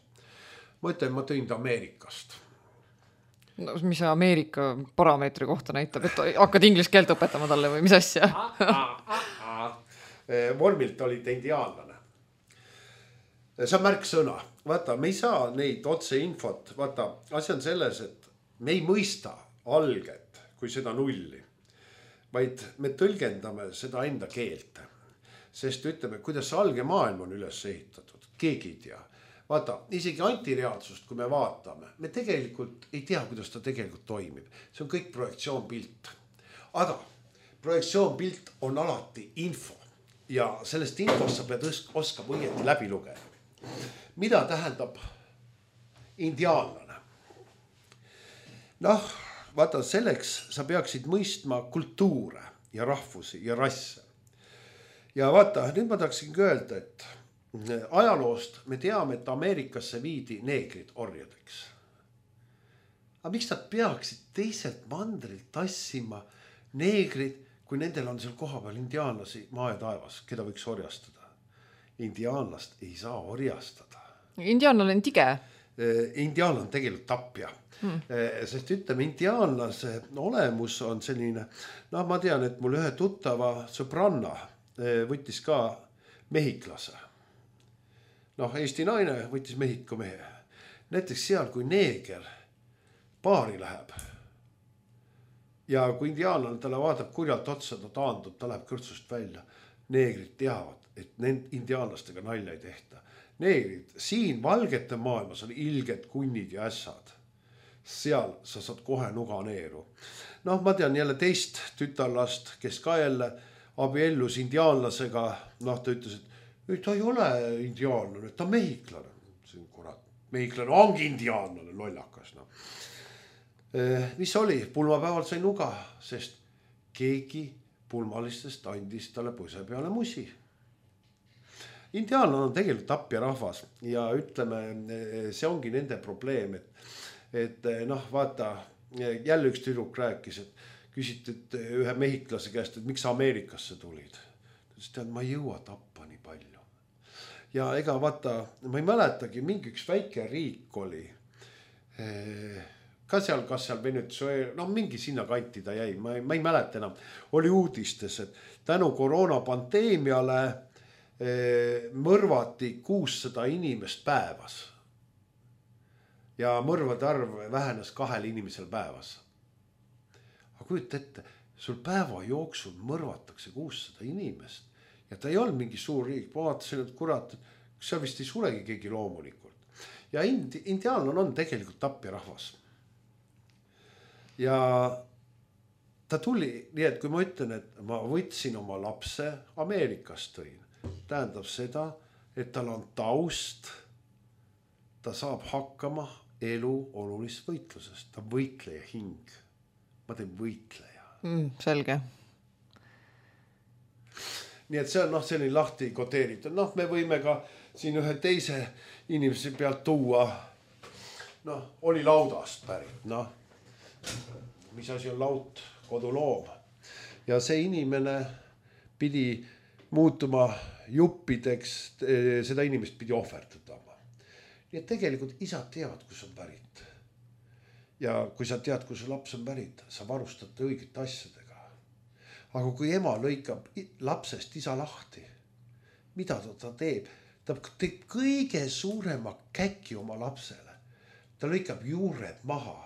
Ma ütlen, ma tõin ta Ameerikast. No, mis Ameerika parameetri kohta näitab, et hakkad inglise keelt õpetama talle või mis asja? Vormilt oli ta indiaanlane. See on märksõna. Vaata, me ei saa neid otse infot. Vaata, asi on selles, et me ei mõista alget kui seda nulli, vaid me tõlgendame seda enda keelt. Sest ütleme, kuidas alge maailm on üles ehitatud, keegi ei tea. Vaata, isegi antireaalsust, kui me vaatame, me tegelikult ei tea, kuidas ta tegelikult toimib. See on kõik projektsioonpilt. Aga projektsioonpilt on alati info ja sellest infost sa pead oskama õieti läbi lugeda. Mida tähendab indiaanlane? Noh, vaata, selleks sa peaksid mõistma kultuure ja rahvusi ja rasse. Ja vaata, nüüd ma tahaksingi öelda, et ajaloost me teame, et Ameerikasse viidi neegrid orjadeks. Aga miks nad peaksid teiselt mandrilt tassima neegrid, kui nendel on seal kohapeal indiaanlasi maa ja taevas, keda võiks orjastada? Indiaanlast ei saa orjastada. Indiaanlane on tige. Indiaanlane on tegelikult tapja. Hmm. Sest ütleme, indiaanlase olemus on selline, no ma tean, et mul ühe tuttava sõbranna võttis ka mehiklase. Noh, Eesti naine võttis Mehhiko mehe. Näiteks seal, kui neeger paari läheb ja kui indiaanlane talle vaatab kurjalt otsa, ta taandub, ta läheb kõrtsust välja. Neegrid teavad, et need indiaanlastega nalja ei tehta. Neegrid, siin valgete maailmas on ilged kunnid ja ässad. Seal sa saad kohe nuga neeru. Noh, ma tean jälle teist tütarlast, kes ka jälle abiellus indiaanlasega. Noh, ta ütles, et ta ei ole indiaanlane, ta on mehiklane. See on kurat, mehiklane ongi indiaanlane, lollakas. No. Mis oli? Pulmapäeval sai nuga, sest keegi pulmalistest andis talle põse peale musi. Indiaanlane on tegelikult tapja rahvas ja ütleme, see ongi nende probleem, et et noh, vaata, jälle üks tüdruk rääkis, et küsiti ühe mehiklase käest, et miks Ameerikasse tulid. Ta ütles, et ma ei jõua tappa nii palju. Ja ega vaata, ma ei mäletagi, mingi üks väike riik oli, ka seal, kas seal Venezuela, no mingi sinna kanti ta jäi, ma ei, ma ei mäleta enam, oli uudistes, et tänu koroonapandeemiale mõrvati kuussada inimest päevas. Ja mõrvade arv vähenes kahel inimesel päevas. Aga kujuta ette, sul päeva jooksul mõrvatakse kuussada inimest ja ta ei olnud mingi suur riik. Ma vaatasin, et kurat, seal vist ei suregi keegi loomulikult. Ja indi, indiaanlane on tegelikult tapja rahvas. Ja ta tuli, nii et kui ma ütlen, et ma võtsin oma lapse Ameerikast tõin, tähendab seda, et tal on taust, ta saab hakkama elu olulist võitlusest. Ta võitleja hing. Ma teen võitleja. Mm, selge. Nii et see on noh, selline lahti koteeritud. Noh, me võime ka siin ühe teise inimese pealt tuua. Noh, oli laudast pärit. Noh, mis asi on laut? Koduloom. ja see inimene pidi muutuma juppideks, seda inimest pidi ohverdama. Nii et tegelikult isad teavad, kus on pärit. Ja kui sa tead, kus laps on pärit, sa varustad õigete asjadega. Aga kui ema lõikab lapsest isa lahti, mida ta, ta teeb? Ta teeb kõige suurema käki oma lapsele. Ta lõikab juured maha.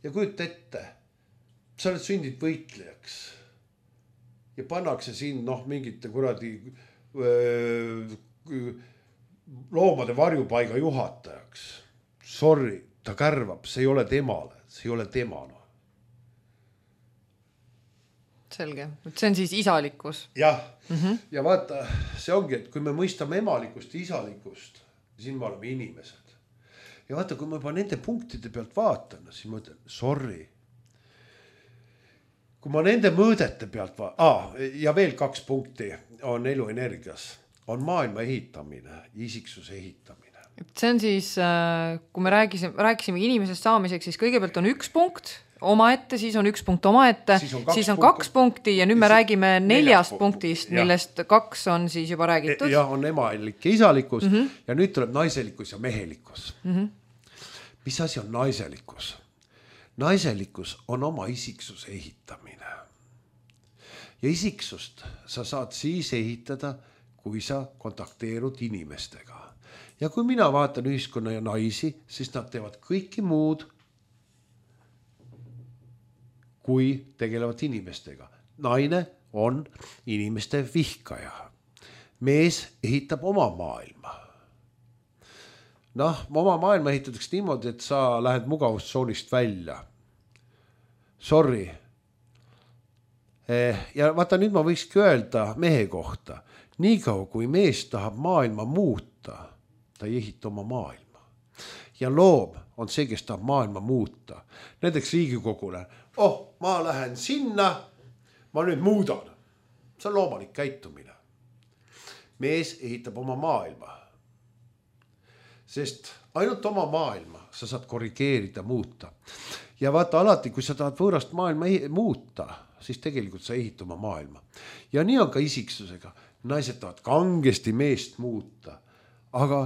Ja kujut ette, sa oled sündid võitlejaks. Ja pannakse siin noh, mingite kuradi öö, loomade varjupaiga juhatajaks. Sorry, ta kärvab, see ei ole temale, see ei ole temana. Selge, see on siis isalikkus. Jah, mm-hmm. Ja vaata, see ongi, et kui me mõistame emalikust ja isalikust, siin me oleme inimesed. Ja vaata, kui ma juba nende punktide pealt vaatan, siis ma ütlen, sorry. Kui ma nende mõõdete pealt vaatan, ah, ja veel kaks punkti on elu energias, on maailma ehitamine, isiksuse ehitamine. See on siis, kui me rääkisime, rääkisime inimesest saamiseks, siis kõigepealt on üks punkt oma ette, siis on üks punkt oma ette, siis on kaks, siis on kaks punkti ja nüüd me räägime neljast punktist, millest ja. Kaks on siis juba räägitud. Ja on emalik ja isalikkus mm-hmm. ja nüüd tuleb naiselikkus ja mehelikkus. Mm-hmm. Mis asi on naiselikkus? Naiselikkus on oma isiksuse ehitamine. Ja isiksust sa saad siis ehitada, kui sa kontakteerud inimestega. Ja kui mina vaatan ühiskonna ja naisi, siis nad teevad kõiki muud, kui tegelevad inimestega. Naine on inimeste vihkaja. Mees ehitab oma maailma. Noh, oma maailma ehitatakse niimoodi, et sa lähed mugavustsoonist välja. Sorry. Ja vaata, nüüd ma võikski öelda mehe kohta. Nii kaua, kui mees tahab maailma muuta, ta ei ehita oma maailma. Ja loom on see, kes tahab maailma muuta. Näiteks Riigikogule. Oh, ma lähen sinna, ma nüüd muudan. See on loomalik käitumine. Mees ehitab oma maailma. Sest ainult oma maailma sa saad korrigeerida, muuta. Ja vaata alati, kui sa tahad võõrast maailma muuta, siis tegelikult sa ehita oma maailma. Ja nii on ka isiksusega. Naised tahavad kangesti meest muuta, aga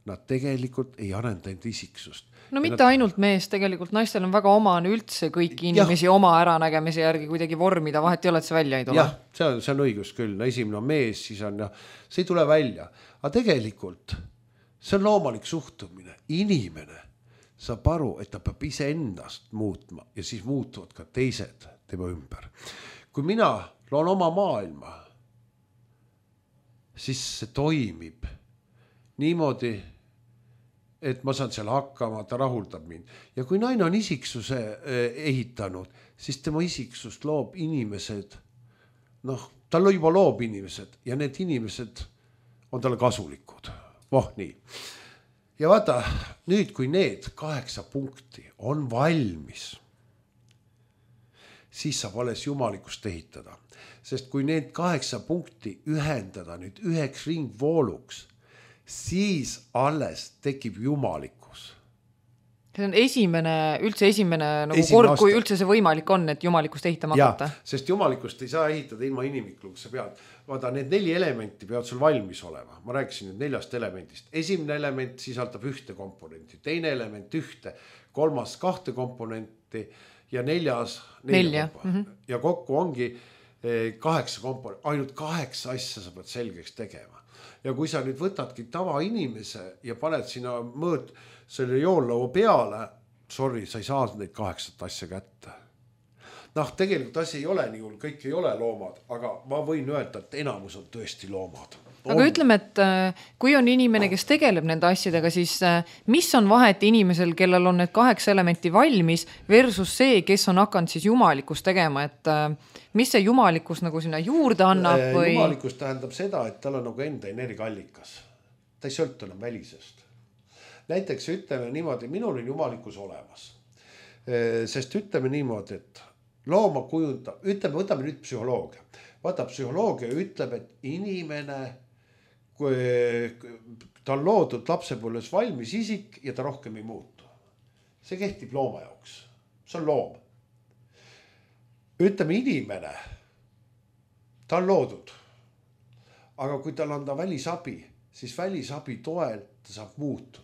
nad tegelikult ei arenda enda isiksust. No mitte nad... ainult mees, tegelikult naistel on väga omane üldse kõiki inimesi ja. Oma äranägemise järgi kuidagi vormida, vahet ei ole, et see välja ei tule. Jah, see on, see on õigus küll. Esimene on mees, siis on ja see ei tule välja. Aga tegelikult see on loomalik suhtumine. Inimene saab aru, et ta peab ise endast muutma ja siis muutuvad ka teised tema ümber. Kui mina loon oma maailma, siis see toimib niimoodi, et ma saan seal hakkama, ta rahuldab mind. Ja kui naine on isiksuse ehitanud, siis tema isiksust loob inimesed, noh, tal juba loob inimesed ja need inimesed on talle kasulikud. Voh, nii. Ja vaata, nüüd kui need kaheksa punkti on valmis, siis saab alles jumalikust ehitada. Sest kui need kaheksa punkti ühendada nüüd üheks ringvooluks, siis alles tekib jumalikkus. See on esimene, üldse esimene nagu esimene kord, aasta. Kui üldse see võimalik on, et jumalikust ehitama hakata. Ja, sest jumalikust ei saa ehitada ilma inimikluks, sa pead. Vaata, need neli elementi peavad sul valmis olema. Ma rääkisin nüüd neljast elementist. Esimene element sisaldab ühte komponenti, teine element ühte, kolmas kahte komponenti ja neljas nelja. Mm-hmm. Ja kokku ongi kaheksa komponenti, ainult kaheksa asja sa pead selgeks tegema. Ja kui sa nüüd võtadki tava inimese ja paned sinna mõõd selle joollõu peale, sorry, sa ei saa neid kaheksat asja kätte. Noh, tegelikult asi ei ole nii hull, kõik ei ole loomad, aga ma võin öelda, et enamus on tõesti loomad. On. Aga ütleme, et kui on inimene, kes tegeleb nende asjadega, siis mis on vahet inimesel, kellel on need kaheksa elementi valmis versus see, kes on hakanud siis jumalikkus tegema, et mis see jumalikkus nagu sinna juurde annab? Või... Jumalikkus tähendab seda, et tal on nagu enda energiaallikas. Ta ei sõltu enam välisest. Näiteks ütleme niimoodi, minul on jumalikkus olemas. Sest ütleme niimoodi, et looma kujundab, ütleme, võtame nüüd psühholoogia. Vaata, psühholoogia ütleb, et inimene, kui ta on loodud lapsepõlves valmis isik ja ta rohkem ei muutu. See kehtib looma jaoks. See on loom. ütleme inimene, ta on loodud. Aga kui tal anda välisabi, siis välisabi toel ta saab muutuda.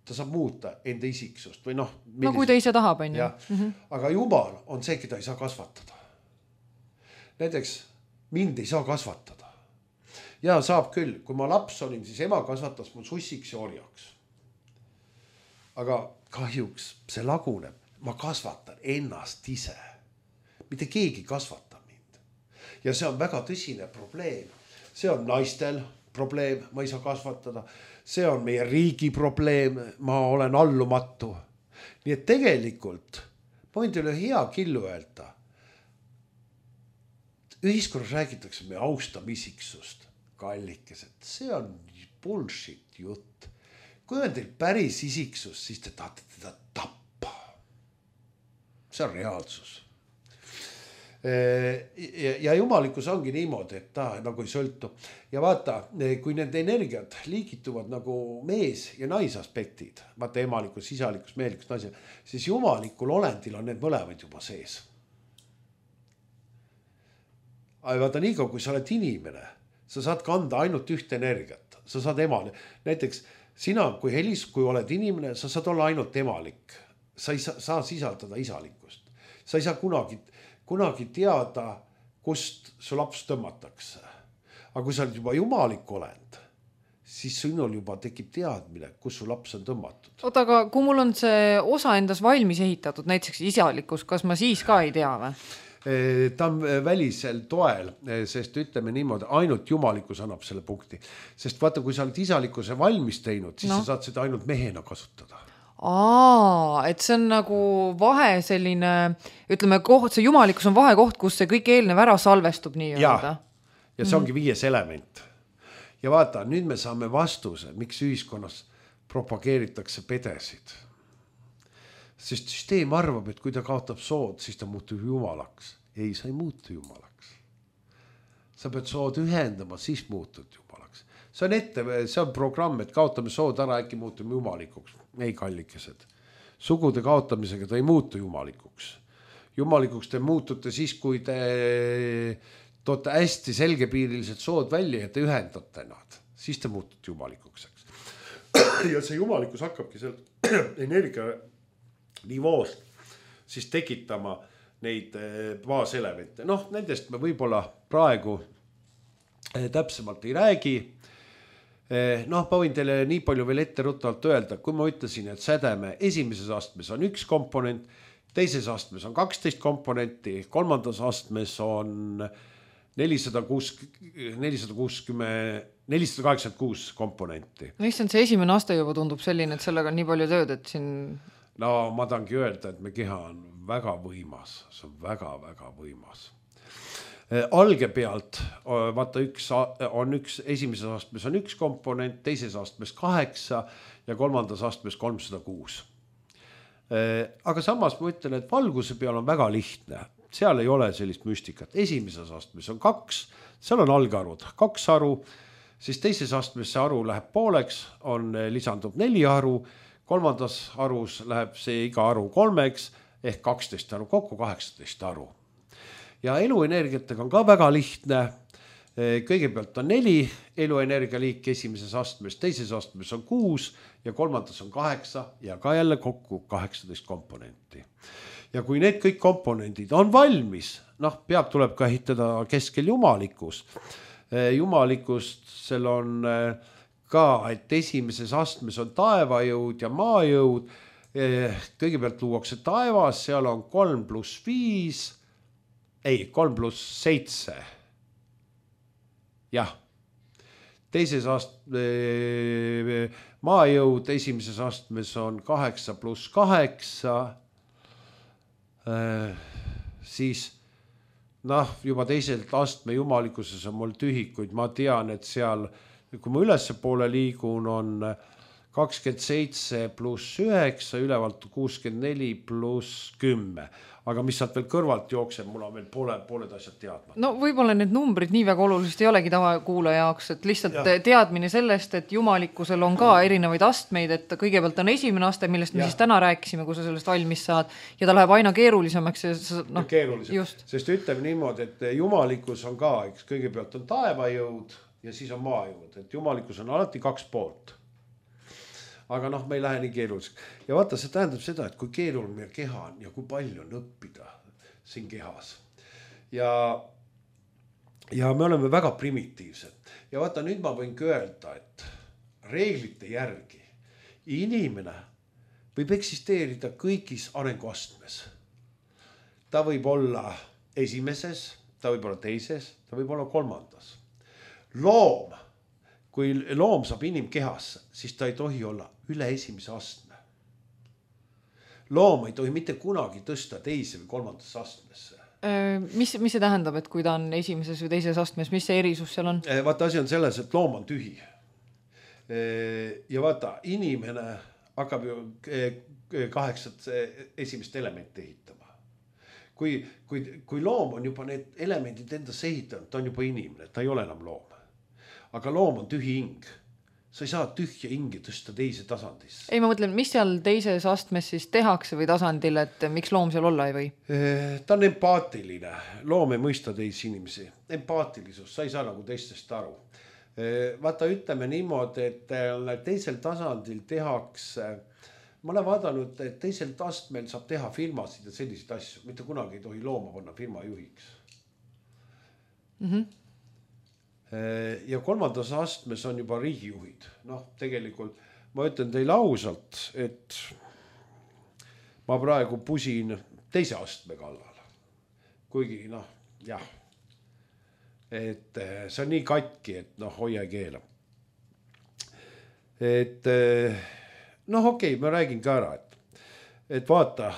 Ta saab muuta enda isiksust või noh. No kui ta ise tahab, on ju. Mm-hmm. Aga Jumal on see, keda ei saa kasvatada. Näiteks mind ei saa kasvatada. Ja saab küll, kui ma laps olin, siis ema kasvatas mul sussiks ja orjaks. Aga kahjuks see laguneb. Ma kasvatan ennast ise. Mitte keegi kasvata mind. Ja see on väga tõsine probleem. See on naistel probleem, ma ei saa kasvatada. See on meie riigi probleem, ma olen allumatu. Nii et tegelikult, ma võin teile hea killu öelda. Ühiskonnas räägitakse me austamisisksust, kallikesed. See on bullshit jutt. Kui on teil päris isiksus, siis te tahate teda tappa. See on reaalsus. Ja jumalikkus ongi niimoodi, et ta nagu ei sõltu. Ja vaata, kui nende energiat liigituvad nagu mees ja naisaspektid, vaata emalikkus, isalikkus, meelikkus, naise, siis jumalikul olendil on need mõlemad juba sees. Aga vaata nii kaua, kui sa oled inimene, sa saad kanda ainult ühte energiat. Sa saad emale. Näiteks sina, kui Helis, kui oled inimene, sa saad olla ainult emalik. Sa ei saa, saa sisaldada isalikkust. Sa ei saa kunagi kunagi teada, kust su laps tõmmatakse. Aga kui sa oled juba jumalik olend, siis sinul juba tekib teadmine, kus su laps on tõmmatud. Oota, aga kui mul on see osa endas valmis ehitatud, näiteks isalikkus, kas ma siis ka ei tea või? Ta on välisel toel, sest ütleme niimoodi, ainult jumalikkus annab selle punkti. Sest vaata, kui sa oled isalikkuse valmis teinud, siis no. Sa saad seda ainult mehena kasutada. Aa, et see on nagu vahe selline, ütleme, koht, see jumalikkus on vahekoht, kus see kõik eelnev ära salvestub nii öelda. Ja see ongi viies element. Ja vaata, nüüd me saame vastuse, miks ühiskonnas propageeritakse pedesid. Sest süsteem arvab, et kui ta kaotab sood, siis ta muutub jumalaks. Ei, sa ei muutu jumalaks. Sa pead sood ühendama, siis muutud jumalaks. See on ette, see on programm, et kaotame sood ära, äkki muutume jumalikuks. Ei kallikesed. Sugude kaotamisega ta ei muutu jumalikuks. Jumalikuks te muutute siis, kui te toote hästi selgepiirilised sood välja ja te ühendate nad. Siis te muutute jumalikuks. Ja see jumalikkus hakkabki seal energia nivoost siis tekitama neid baaselemente. Noh, nendest me võib-olla praegu täpsemalt ei räägi. Noh, ma võin teile nii palju veel ette rutavalt öelda, kui ma ütlesin, et sädeme esimeses astmes on üks komponent, teises astmes on kaksteist komponenti, kolmandas astmes on nelisada kuuskümmend, nelisada kaheksakümmend kuus komponenti. Issand, see esimene aste juba tundub selline, et sellega on nii palju tööd, et siin... No ma tahangi öelda, et me keha on väga võimas, see on väga-väga võimas. Alge pealt, vaata üks on üks, esimeses astmes on üks komponent, teises astmes kaheksa ja kolmandas astmes kolmsada kuus. Aga samas ma ütlen, et valguse peal on väga lihtne. Seal ei ole sellist müstikat. Esimeses astmes on kaks, seal on algarvud, kaks haru, siis teises astmes see haru läheb pooleks, on lisandub neli haru, kolmandas harus läheb see iga haru kolmeks ehk kaksteist haru, kokku kaheksateist haru. Ja eluenergiatega on ka väga lihtne. Kõigepealt on neli eluenergialiiki esimeses astmes, teises astmes on kuus ja kolmandas on kaheksa ja ka jälle kokku kaheksateist komponenti. Ja kui need kõik komponendid on valmis, noh, peab tuleb ka ehitada keskel jumalikkus. Jumalikust seal on ka, et esimeses astmes on taevajõud ja maajõud. Kõigepealt luuakse taevas, seal on kolm pluss viis, ei, kolm pluss seitse. Jah. Teises astmes maajõud esimeses astmes on kaheksa pluss kaheksa. Siis noh, juba teiselt astme jumalikuses on mul tühikuid. Ma tean, et seal, kui ma ülesse poole liigun, on kakskümmend seitse pluss üheksa, ülevalt kuuskümmend neli pluss kümme. Aga mis saad veel kõrvalt jookseb, mul on veel poole, pooled asjad teadma. No võib-olla need numbrid nii väga olulised ei olegi tavakuulaja jaoks, et lihtsalt ja. teadmine sellest, et jumalikkusel on ka erinevaid astmeid, et kõigepealt on esimene aste, millest me ja. siis täna rääkisime, kui sa sellest valmis saad, ja ta läheb aina keerulisemaks. Ja, no, ja keerulisem, just. Sest ütleme niimoodi, et jumalikkus on ka, eks kõigepealt on taevajõud ja siis on maajõud, et jumalikkus on alati kaks poolt. Aga noh, me ei lähe nii keeruliseks. Ja vaata, see tähendab seda, et kui keeruline meie keha on ja kui palju on õppida siin kehas. Ja, ja me oleme väga primitiivsed. Ja vaata, nüüd ma võin öelda, et reeglite järgi inimene võib eksisteerida kõigis arenguastmes. Ta võib olla esimeses, ta võib olla teises, ta võib olla kolmandas. Loom, kui loom saab inimkehasse, siis ta ei tohi olla üle esimese astme. Loom ei tohi mitte kunagi tõsta teise või kolmandasse astmesse. Mis, mis see tähendab, et kui ta on esimeses või teises astmes, mis see erisus seal on? Vaata, asi on selles, et loom on tühi. Ja vaata, inimene hakkab ju kaheksat esimest elementi ehitama. Kui, kui, kui loom on juba need elemendid endas ehitanud, ta on juba inimene, ta ei ole enam loom. Aga loom on tühi hing. Sa ei saa tühja hingi tõsta teise tasandisse. Ei, ma mõtlen, mis seal teises astmes siis tehakse või tasandil, et miks loom seal olla ei või? Ta on empaatiline. Loom ei mõista teisi inimesi. Empaatilisus, sa ei saa nagu teistest aru. Vaata, ütleme niimoodi, et teisel tasandil tehakse, ma olen vaadanud, et teisel astmel saab teha firmasid ja selliseid asju. Mitte kunagi ei tohi looma panna firma juhiks. Mhm. Ja kolmandas astmes on juba riigijuhid. Noh, tegelikult ma ütlen teile ausalt, et ma praegu pusin teise astme kallal. Kuigi, noh, jah, et see on nii katki, et noh, hoia keela. Et noh, okei, ma räägin ka ära, et, et vaata,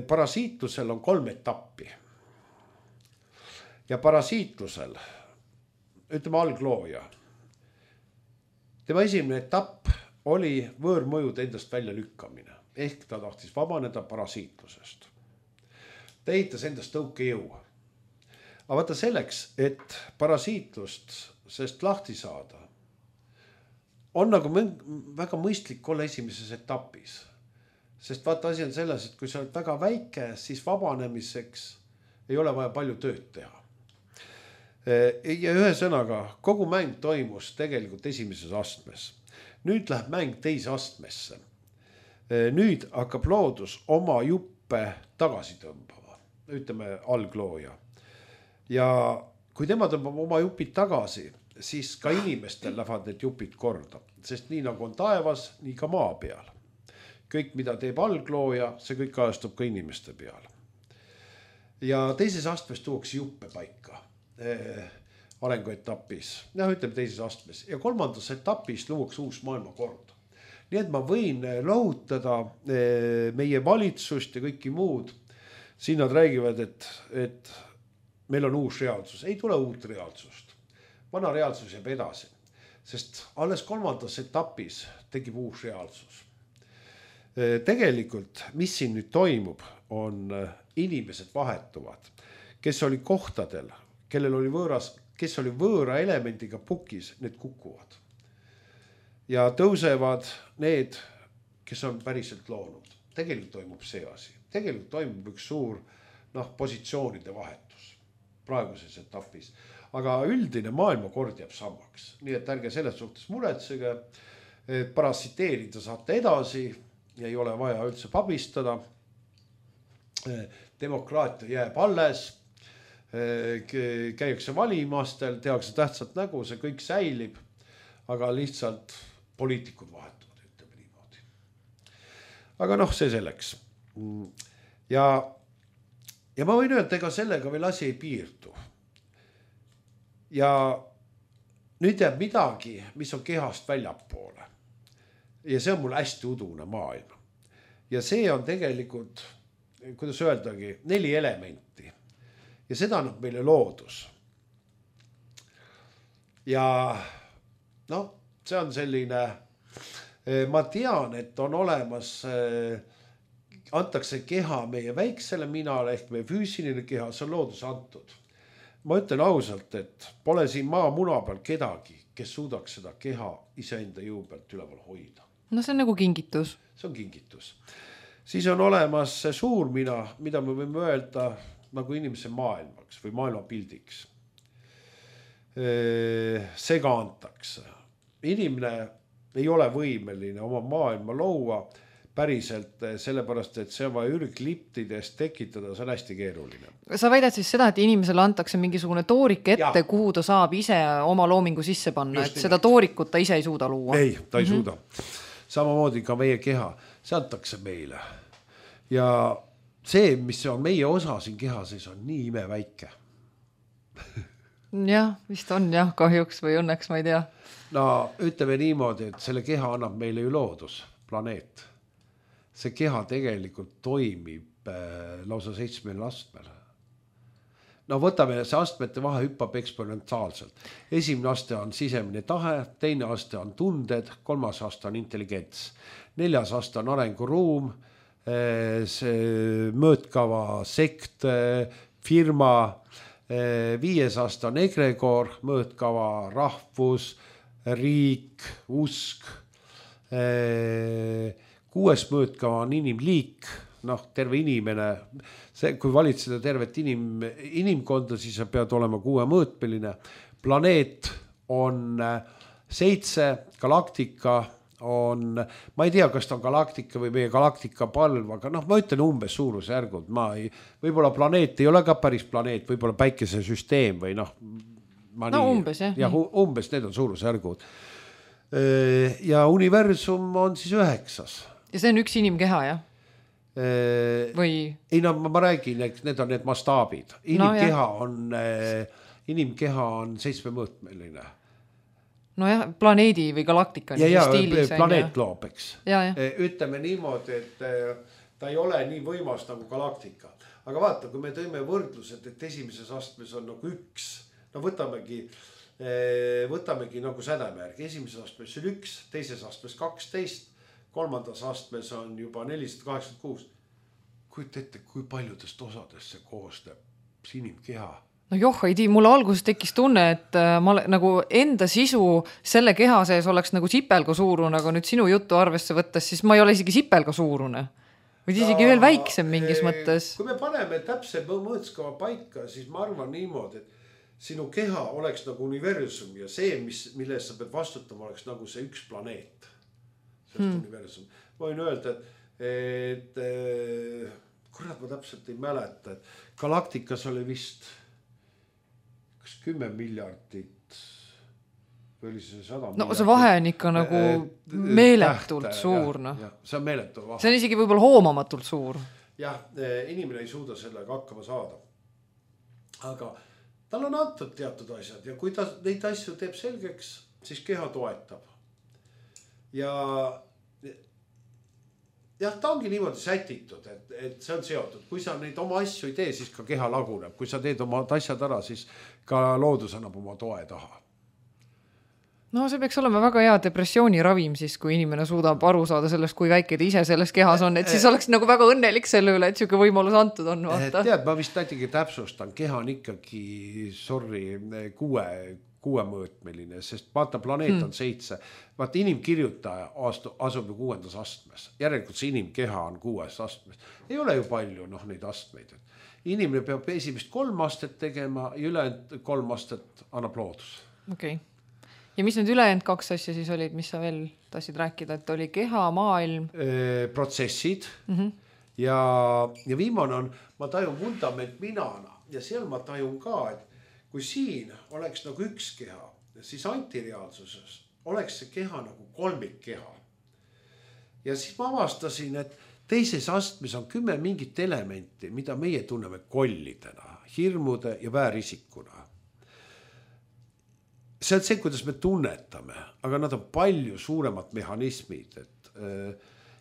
parasiitlusel on kolm etappi. Ja parasiitlusel ütleme alglooja. Tema esimene etapp oli võõrmõjude endast välja lükkamine. Ehk ta tahtis vabaneda parasiitlusest. Ta ehitas endast tõukejõu. Aga vaata selleks, et parasiitlust sest lahti saada, on nagu väga mõistlik olla esimeses etapis. Sest vaata asi on selles, et kui sa oled väga väike, siis vabanemiseks ei ole vaja palju tööd teha. Ja ühe sõnaga, kogu mäng toimus tegelikult esimeses astmes. Nüüd läheb mäng teise astmesse. Nüüd hakkab loodus oma juppe tagasi tõmbama. Ütleme alglooja. Ja kui tema tõmbab oma jupid tagasi, siis ka inimestel lähevad need jupid korda. Sest nii nagu on taevas, nii ka maa peal. Kõik, mida teeb alglooja, see kõik kajastub ka inimeste peal. Ja teises astmes tuuakse juppe paika. Arenguetapis, noh ütleme teises astmes ja kolmandas etapis luuaks uus maailmakord. Nii et ma võin lohutada meie valitsust ja kõiki muud. Siin nad räägivad, et, et meil on uus reaalsus. Ei tule uut reaalsust. Vana reaalsus jääb edasi, sest alles kolmandas etapis tegib uus reaalsus. Tegelikult, mis siin nüüd toimub, on inimesed vahetuvad, kes oli kohtadel, kellel oli võõras, kes oli võõra elemendiga pukis, need kukuvad. Ja tõusevad need, kes on päriselt loonud. Tegelikult toimub see asi. Tegelikult toimub üks suur noh, positsioonide vahetus praeguses etapis. Aga üldine maailmakord jääb samaks. Nii et ärge selles suhtes muretsege, et parasiteerida saate edasi ja ei ole vaja üldse pabistada. Demokraatia jääb alles. Käiakse valimastel, tehakse tähtsat nägu, see kõik säilib, aga lihtsalt poliitikud vahetuvad, ütleme niimoodi. Aga noh, see selleks. Ja, ja ma võin öelda, ega sellega veel asi ei piirdu. Ja nüüd jääb midagi, mis on kehast väljapoole. Ja see on mul hästi udune maailm. Ja see on tegelikult, kuidas öeldagi, neli elementi. Ja seda annab meile loodus. Ja noh, see on selline ma tean, et on olemas, antakse keha meie väiksele minale ehk meie füüsiline keha, see on loodus antud. Ma ütlen ausalt, et pole siin maa muna peal kedagi, kes suudaks seda keha iseenda jõu pealt üleval hoida. No see on nagu kingitus. See on kingitus. Siis on olemas see suur mina, mida me võime öelda nagu inimese maailmaks või maailmapildiks. See ka antakse. Inimene ei ole võimeline oma maailma loua päriselt, sellepärast, et see on vaja ürgliptidest tekitada, see on hästi keeruline. Sa väidad siis seda, et inimesele antakse mingisugune toorik ette, ja. Kuhu ta saab ise oma loomingu sisse panna, just et seda toorikut ta ise ei suuda luua? Ei, ta ei mm-hmm. suuda. Samamoodi ka meie keha, see antakse meile. Ja see, mis on meie osa siin keha sees, on nii imeväike. jah, vist on jah, kahjuks või õnneks, ma ei tea. No ütleme niimoodi, et selle keha annab meile ju loodus, planeet. See keha tegelikult toimib äh, lausa seitsmel astmel. No võtame, see astmete vahe hüppab eksponentsiaalselt. Esimene aste on sisemine tahe, teine aste on tunded, kolmas aste on intelligents. Neljas aste on arenguruum, see mõõtkava, sekt, firma, viies aste on egregor, mõõtkava, rahvus, riik, usk, kuues mõõtkava on inimliik, noh, terve inimene, see, kui valitseda tervet inim, inimkonda, siis sa pead olema kuue mõõtmeline. Planeet on seitse, galaktika on, ma ei tea, kas ta on galaktika või meie galaktika palv, aga noh, ma ütlen umbes suurusjärgud, ma ei, võib-olla planeet ei ole ka päris planeet, võib-olla päikesesüsteem või noh, ma no nii, umbes, jah. Ja, umbes, need on suurusjärgud. Ja universum on siis üheksas. Ja see on üks inimkeha, jah? Või... ei no ma räägin, need on need mastaabid. Inimkeha no, on inimkeha on seitsmemõõtmeline. No jah, planeedi või galaktika ja, ja, stiilis, planeet loob, eks. Ja, ja. Ütleme niimoodi, et ta ei ole nii võimas nagu galaktika. Aga vaata, kui me tõime võrdlused, et esimeses astmes on nagu üks, no võtamegi võtamegi nagu sädemärgi. Esimeses astmes on üks, teises astmes kaksteist, kolmandas astmes on juba nelisada kaheksakümmend kuus. Kuid ette, kui paljudest osadest see koosneb inimkeha? No joh, ei tii, mulle alguses tekkis tunne, et ma nagu enda sisu selle keha sees oleks nagu sipelga suurune, aga nüüd sinu juttu arvesse võttes, siis ma ei ole isegi sipelga suurune. Või isegi no, veel väiksem mingis mõttes. Kui me paneme täpse mõõtskava paika, siis ma arvan niimoodi, et sinu keha oleks nagu universum ja see, mis, milles sa pead vastutama, oleks nagu see üks planeet. Hmm. Universum. Ma võin öelda, et, et kurat, ma täpselt ei mäleta, et galaktikas oli vist kas kümme miljardit või oli see sada miljardit. No see vahe on ikka nagu meeletult tähte, suur. Ja, ja, see on meeletu vahe. See on isegi võib-olla hoomamatult suur. Jah, inimene ei suuda sellega hakkama saada. Aga tal on antud teatud asjad ja kui ta neid asju teeb selgeks, siis keha toetab. Ja jah, ta ongi niimoodi sätitud, et, et see on seotud. Kui sa neid oma asju ei tee, siis ka keha laguneb. Kui sa teed oma asjad ära, siis ka loodus annab oma toe taha. No see peaks olema väga hea depressiooni ravim siis, kui inimene suudab aru saada sellest, kui väike ta ise selles kehas on. Et siis oleks nagu väga õnnelik selle üle, et siuke võimalus antud on. Vaata. Tead, ma vist näitegi täpsustan. Keha on ikkagi, sorry, kuue kuuemõõtmeline, sest vaata, planeet on seitse. Vaata, inimkirjutaja asub ju kuuendas astmes. Järelikult see inimkeha on kuues astmes. Ei ole ju palju noh, neid astmeid. Inimene peab esimest kolm astet tegema ja ülejäänud kolm astet annab loodus. Okei. Okay. Ja mis need ülejäänud kaks asja siis olid, mis sa veel tahtsid rääkida, et oli keha, maailm? E, protsessid mm-hmm. ja, ja viimane on, ma tajun vundament minana ja seal ma tajun ka, et kui siin oleks nagu üks keha, siis antireaalsuses oleks see keha nagu kolmik keha. Ja siis ma avastasin, et teises astmes on kümme mingit elementi, mida meie tunneme kollidena, hirmude ja väärisikuna. See on see, kuidas me tunnetame, aga nad on palju suuremad mehhanismid. Et,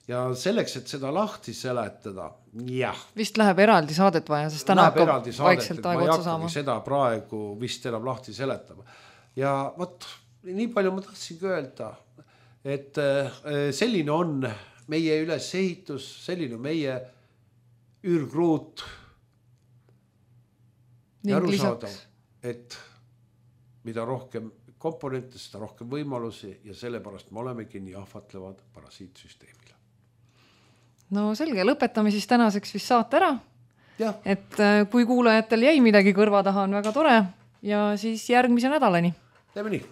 ja selleks, et seda lahti seletada, jah. Vist läheb eraldi saadet vaja, sest täna hakkab vaikselt aeg otsa saama. Seda praegu vist enam lahti seletama. Ja võt, nii palju ma tahtsingi öelda, et selline on meie ülesehitus, selline meie ürgruut ja arusaadav, et mida rohkem komponente, seda rohkem võimalusi ja sellepärast me olemegi nii ahvatlevad parasiitsüsteemile. No selge, lõpetame siis tänaseks vist saate ära. Ja. Et kui kuulajatel jäi midagi kõrva taha, on väga tore ja siis järgmise nädalani. Teeme nii.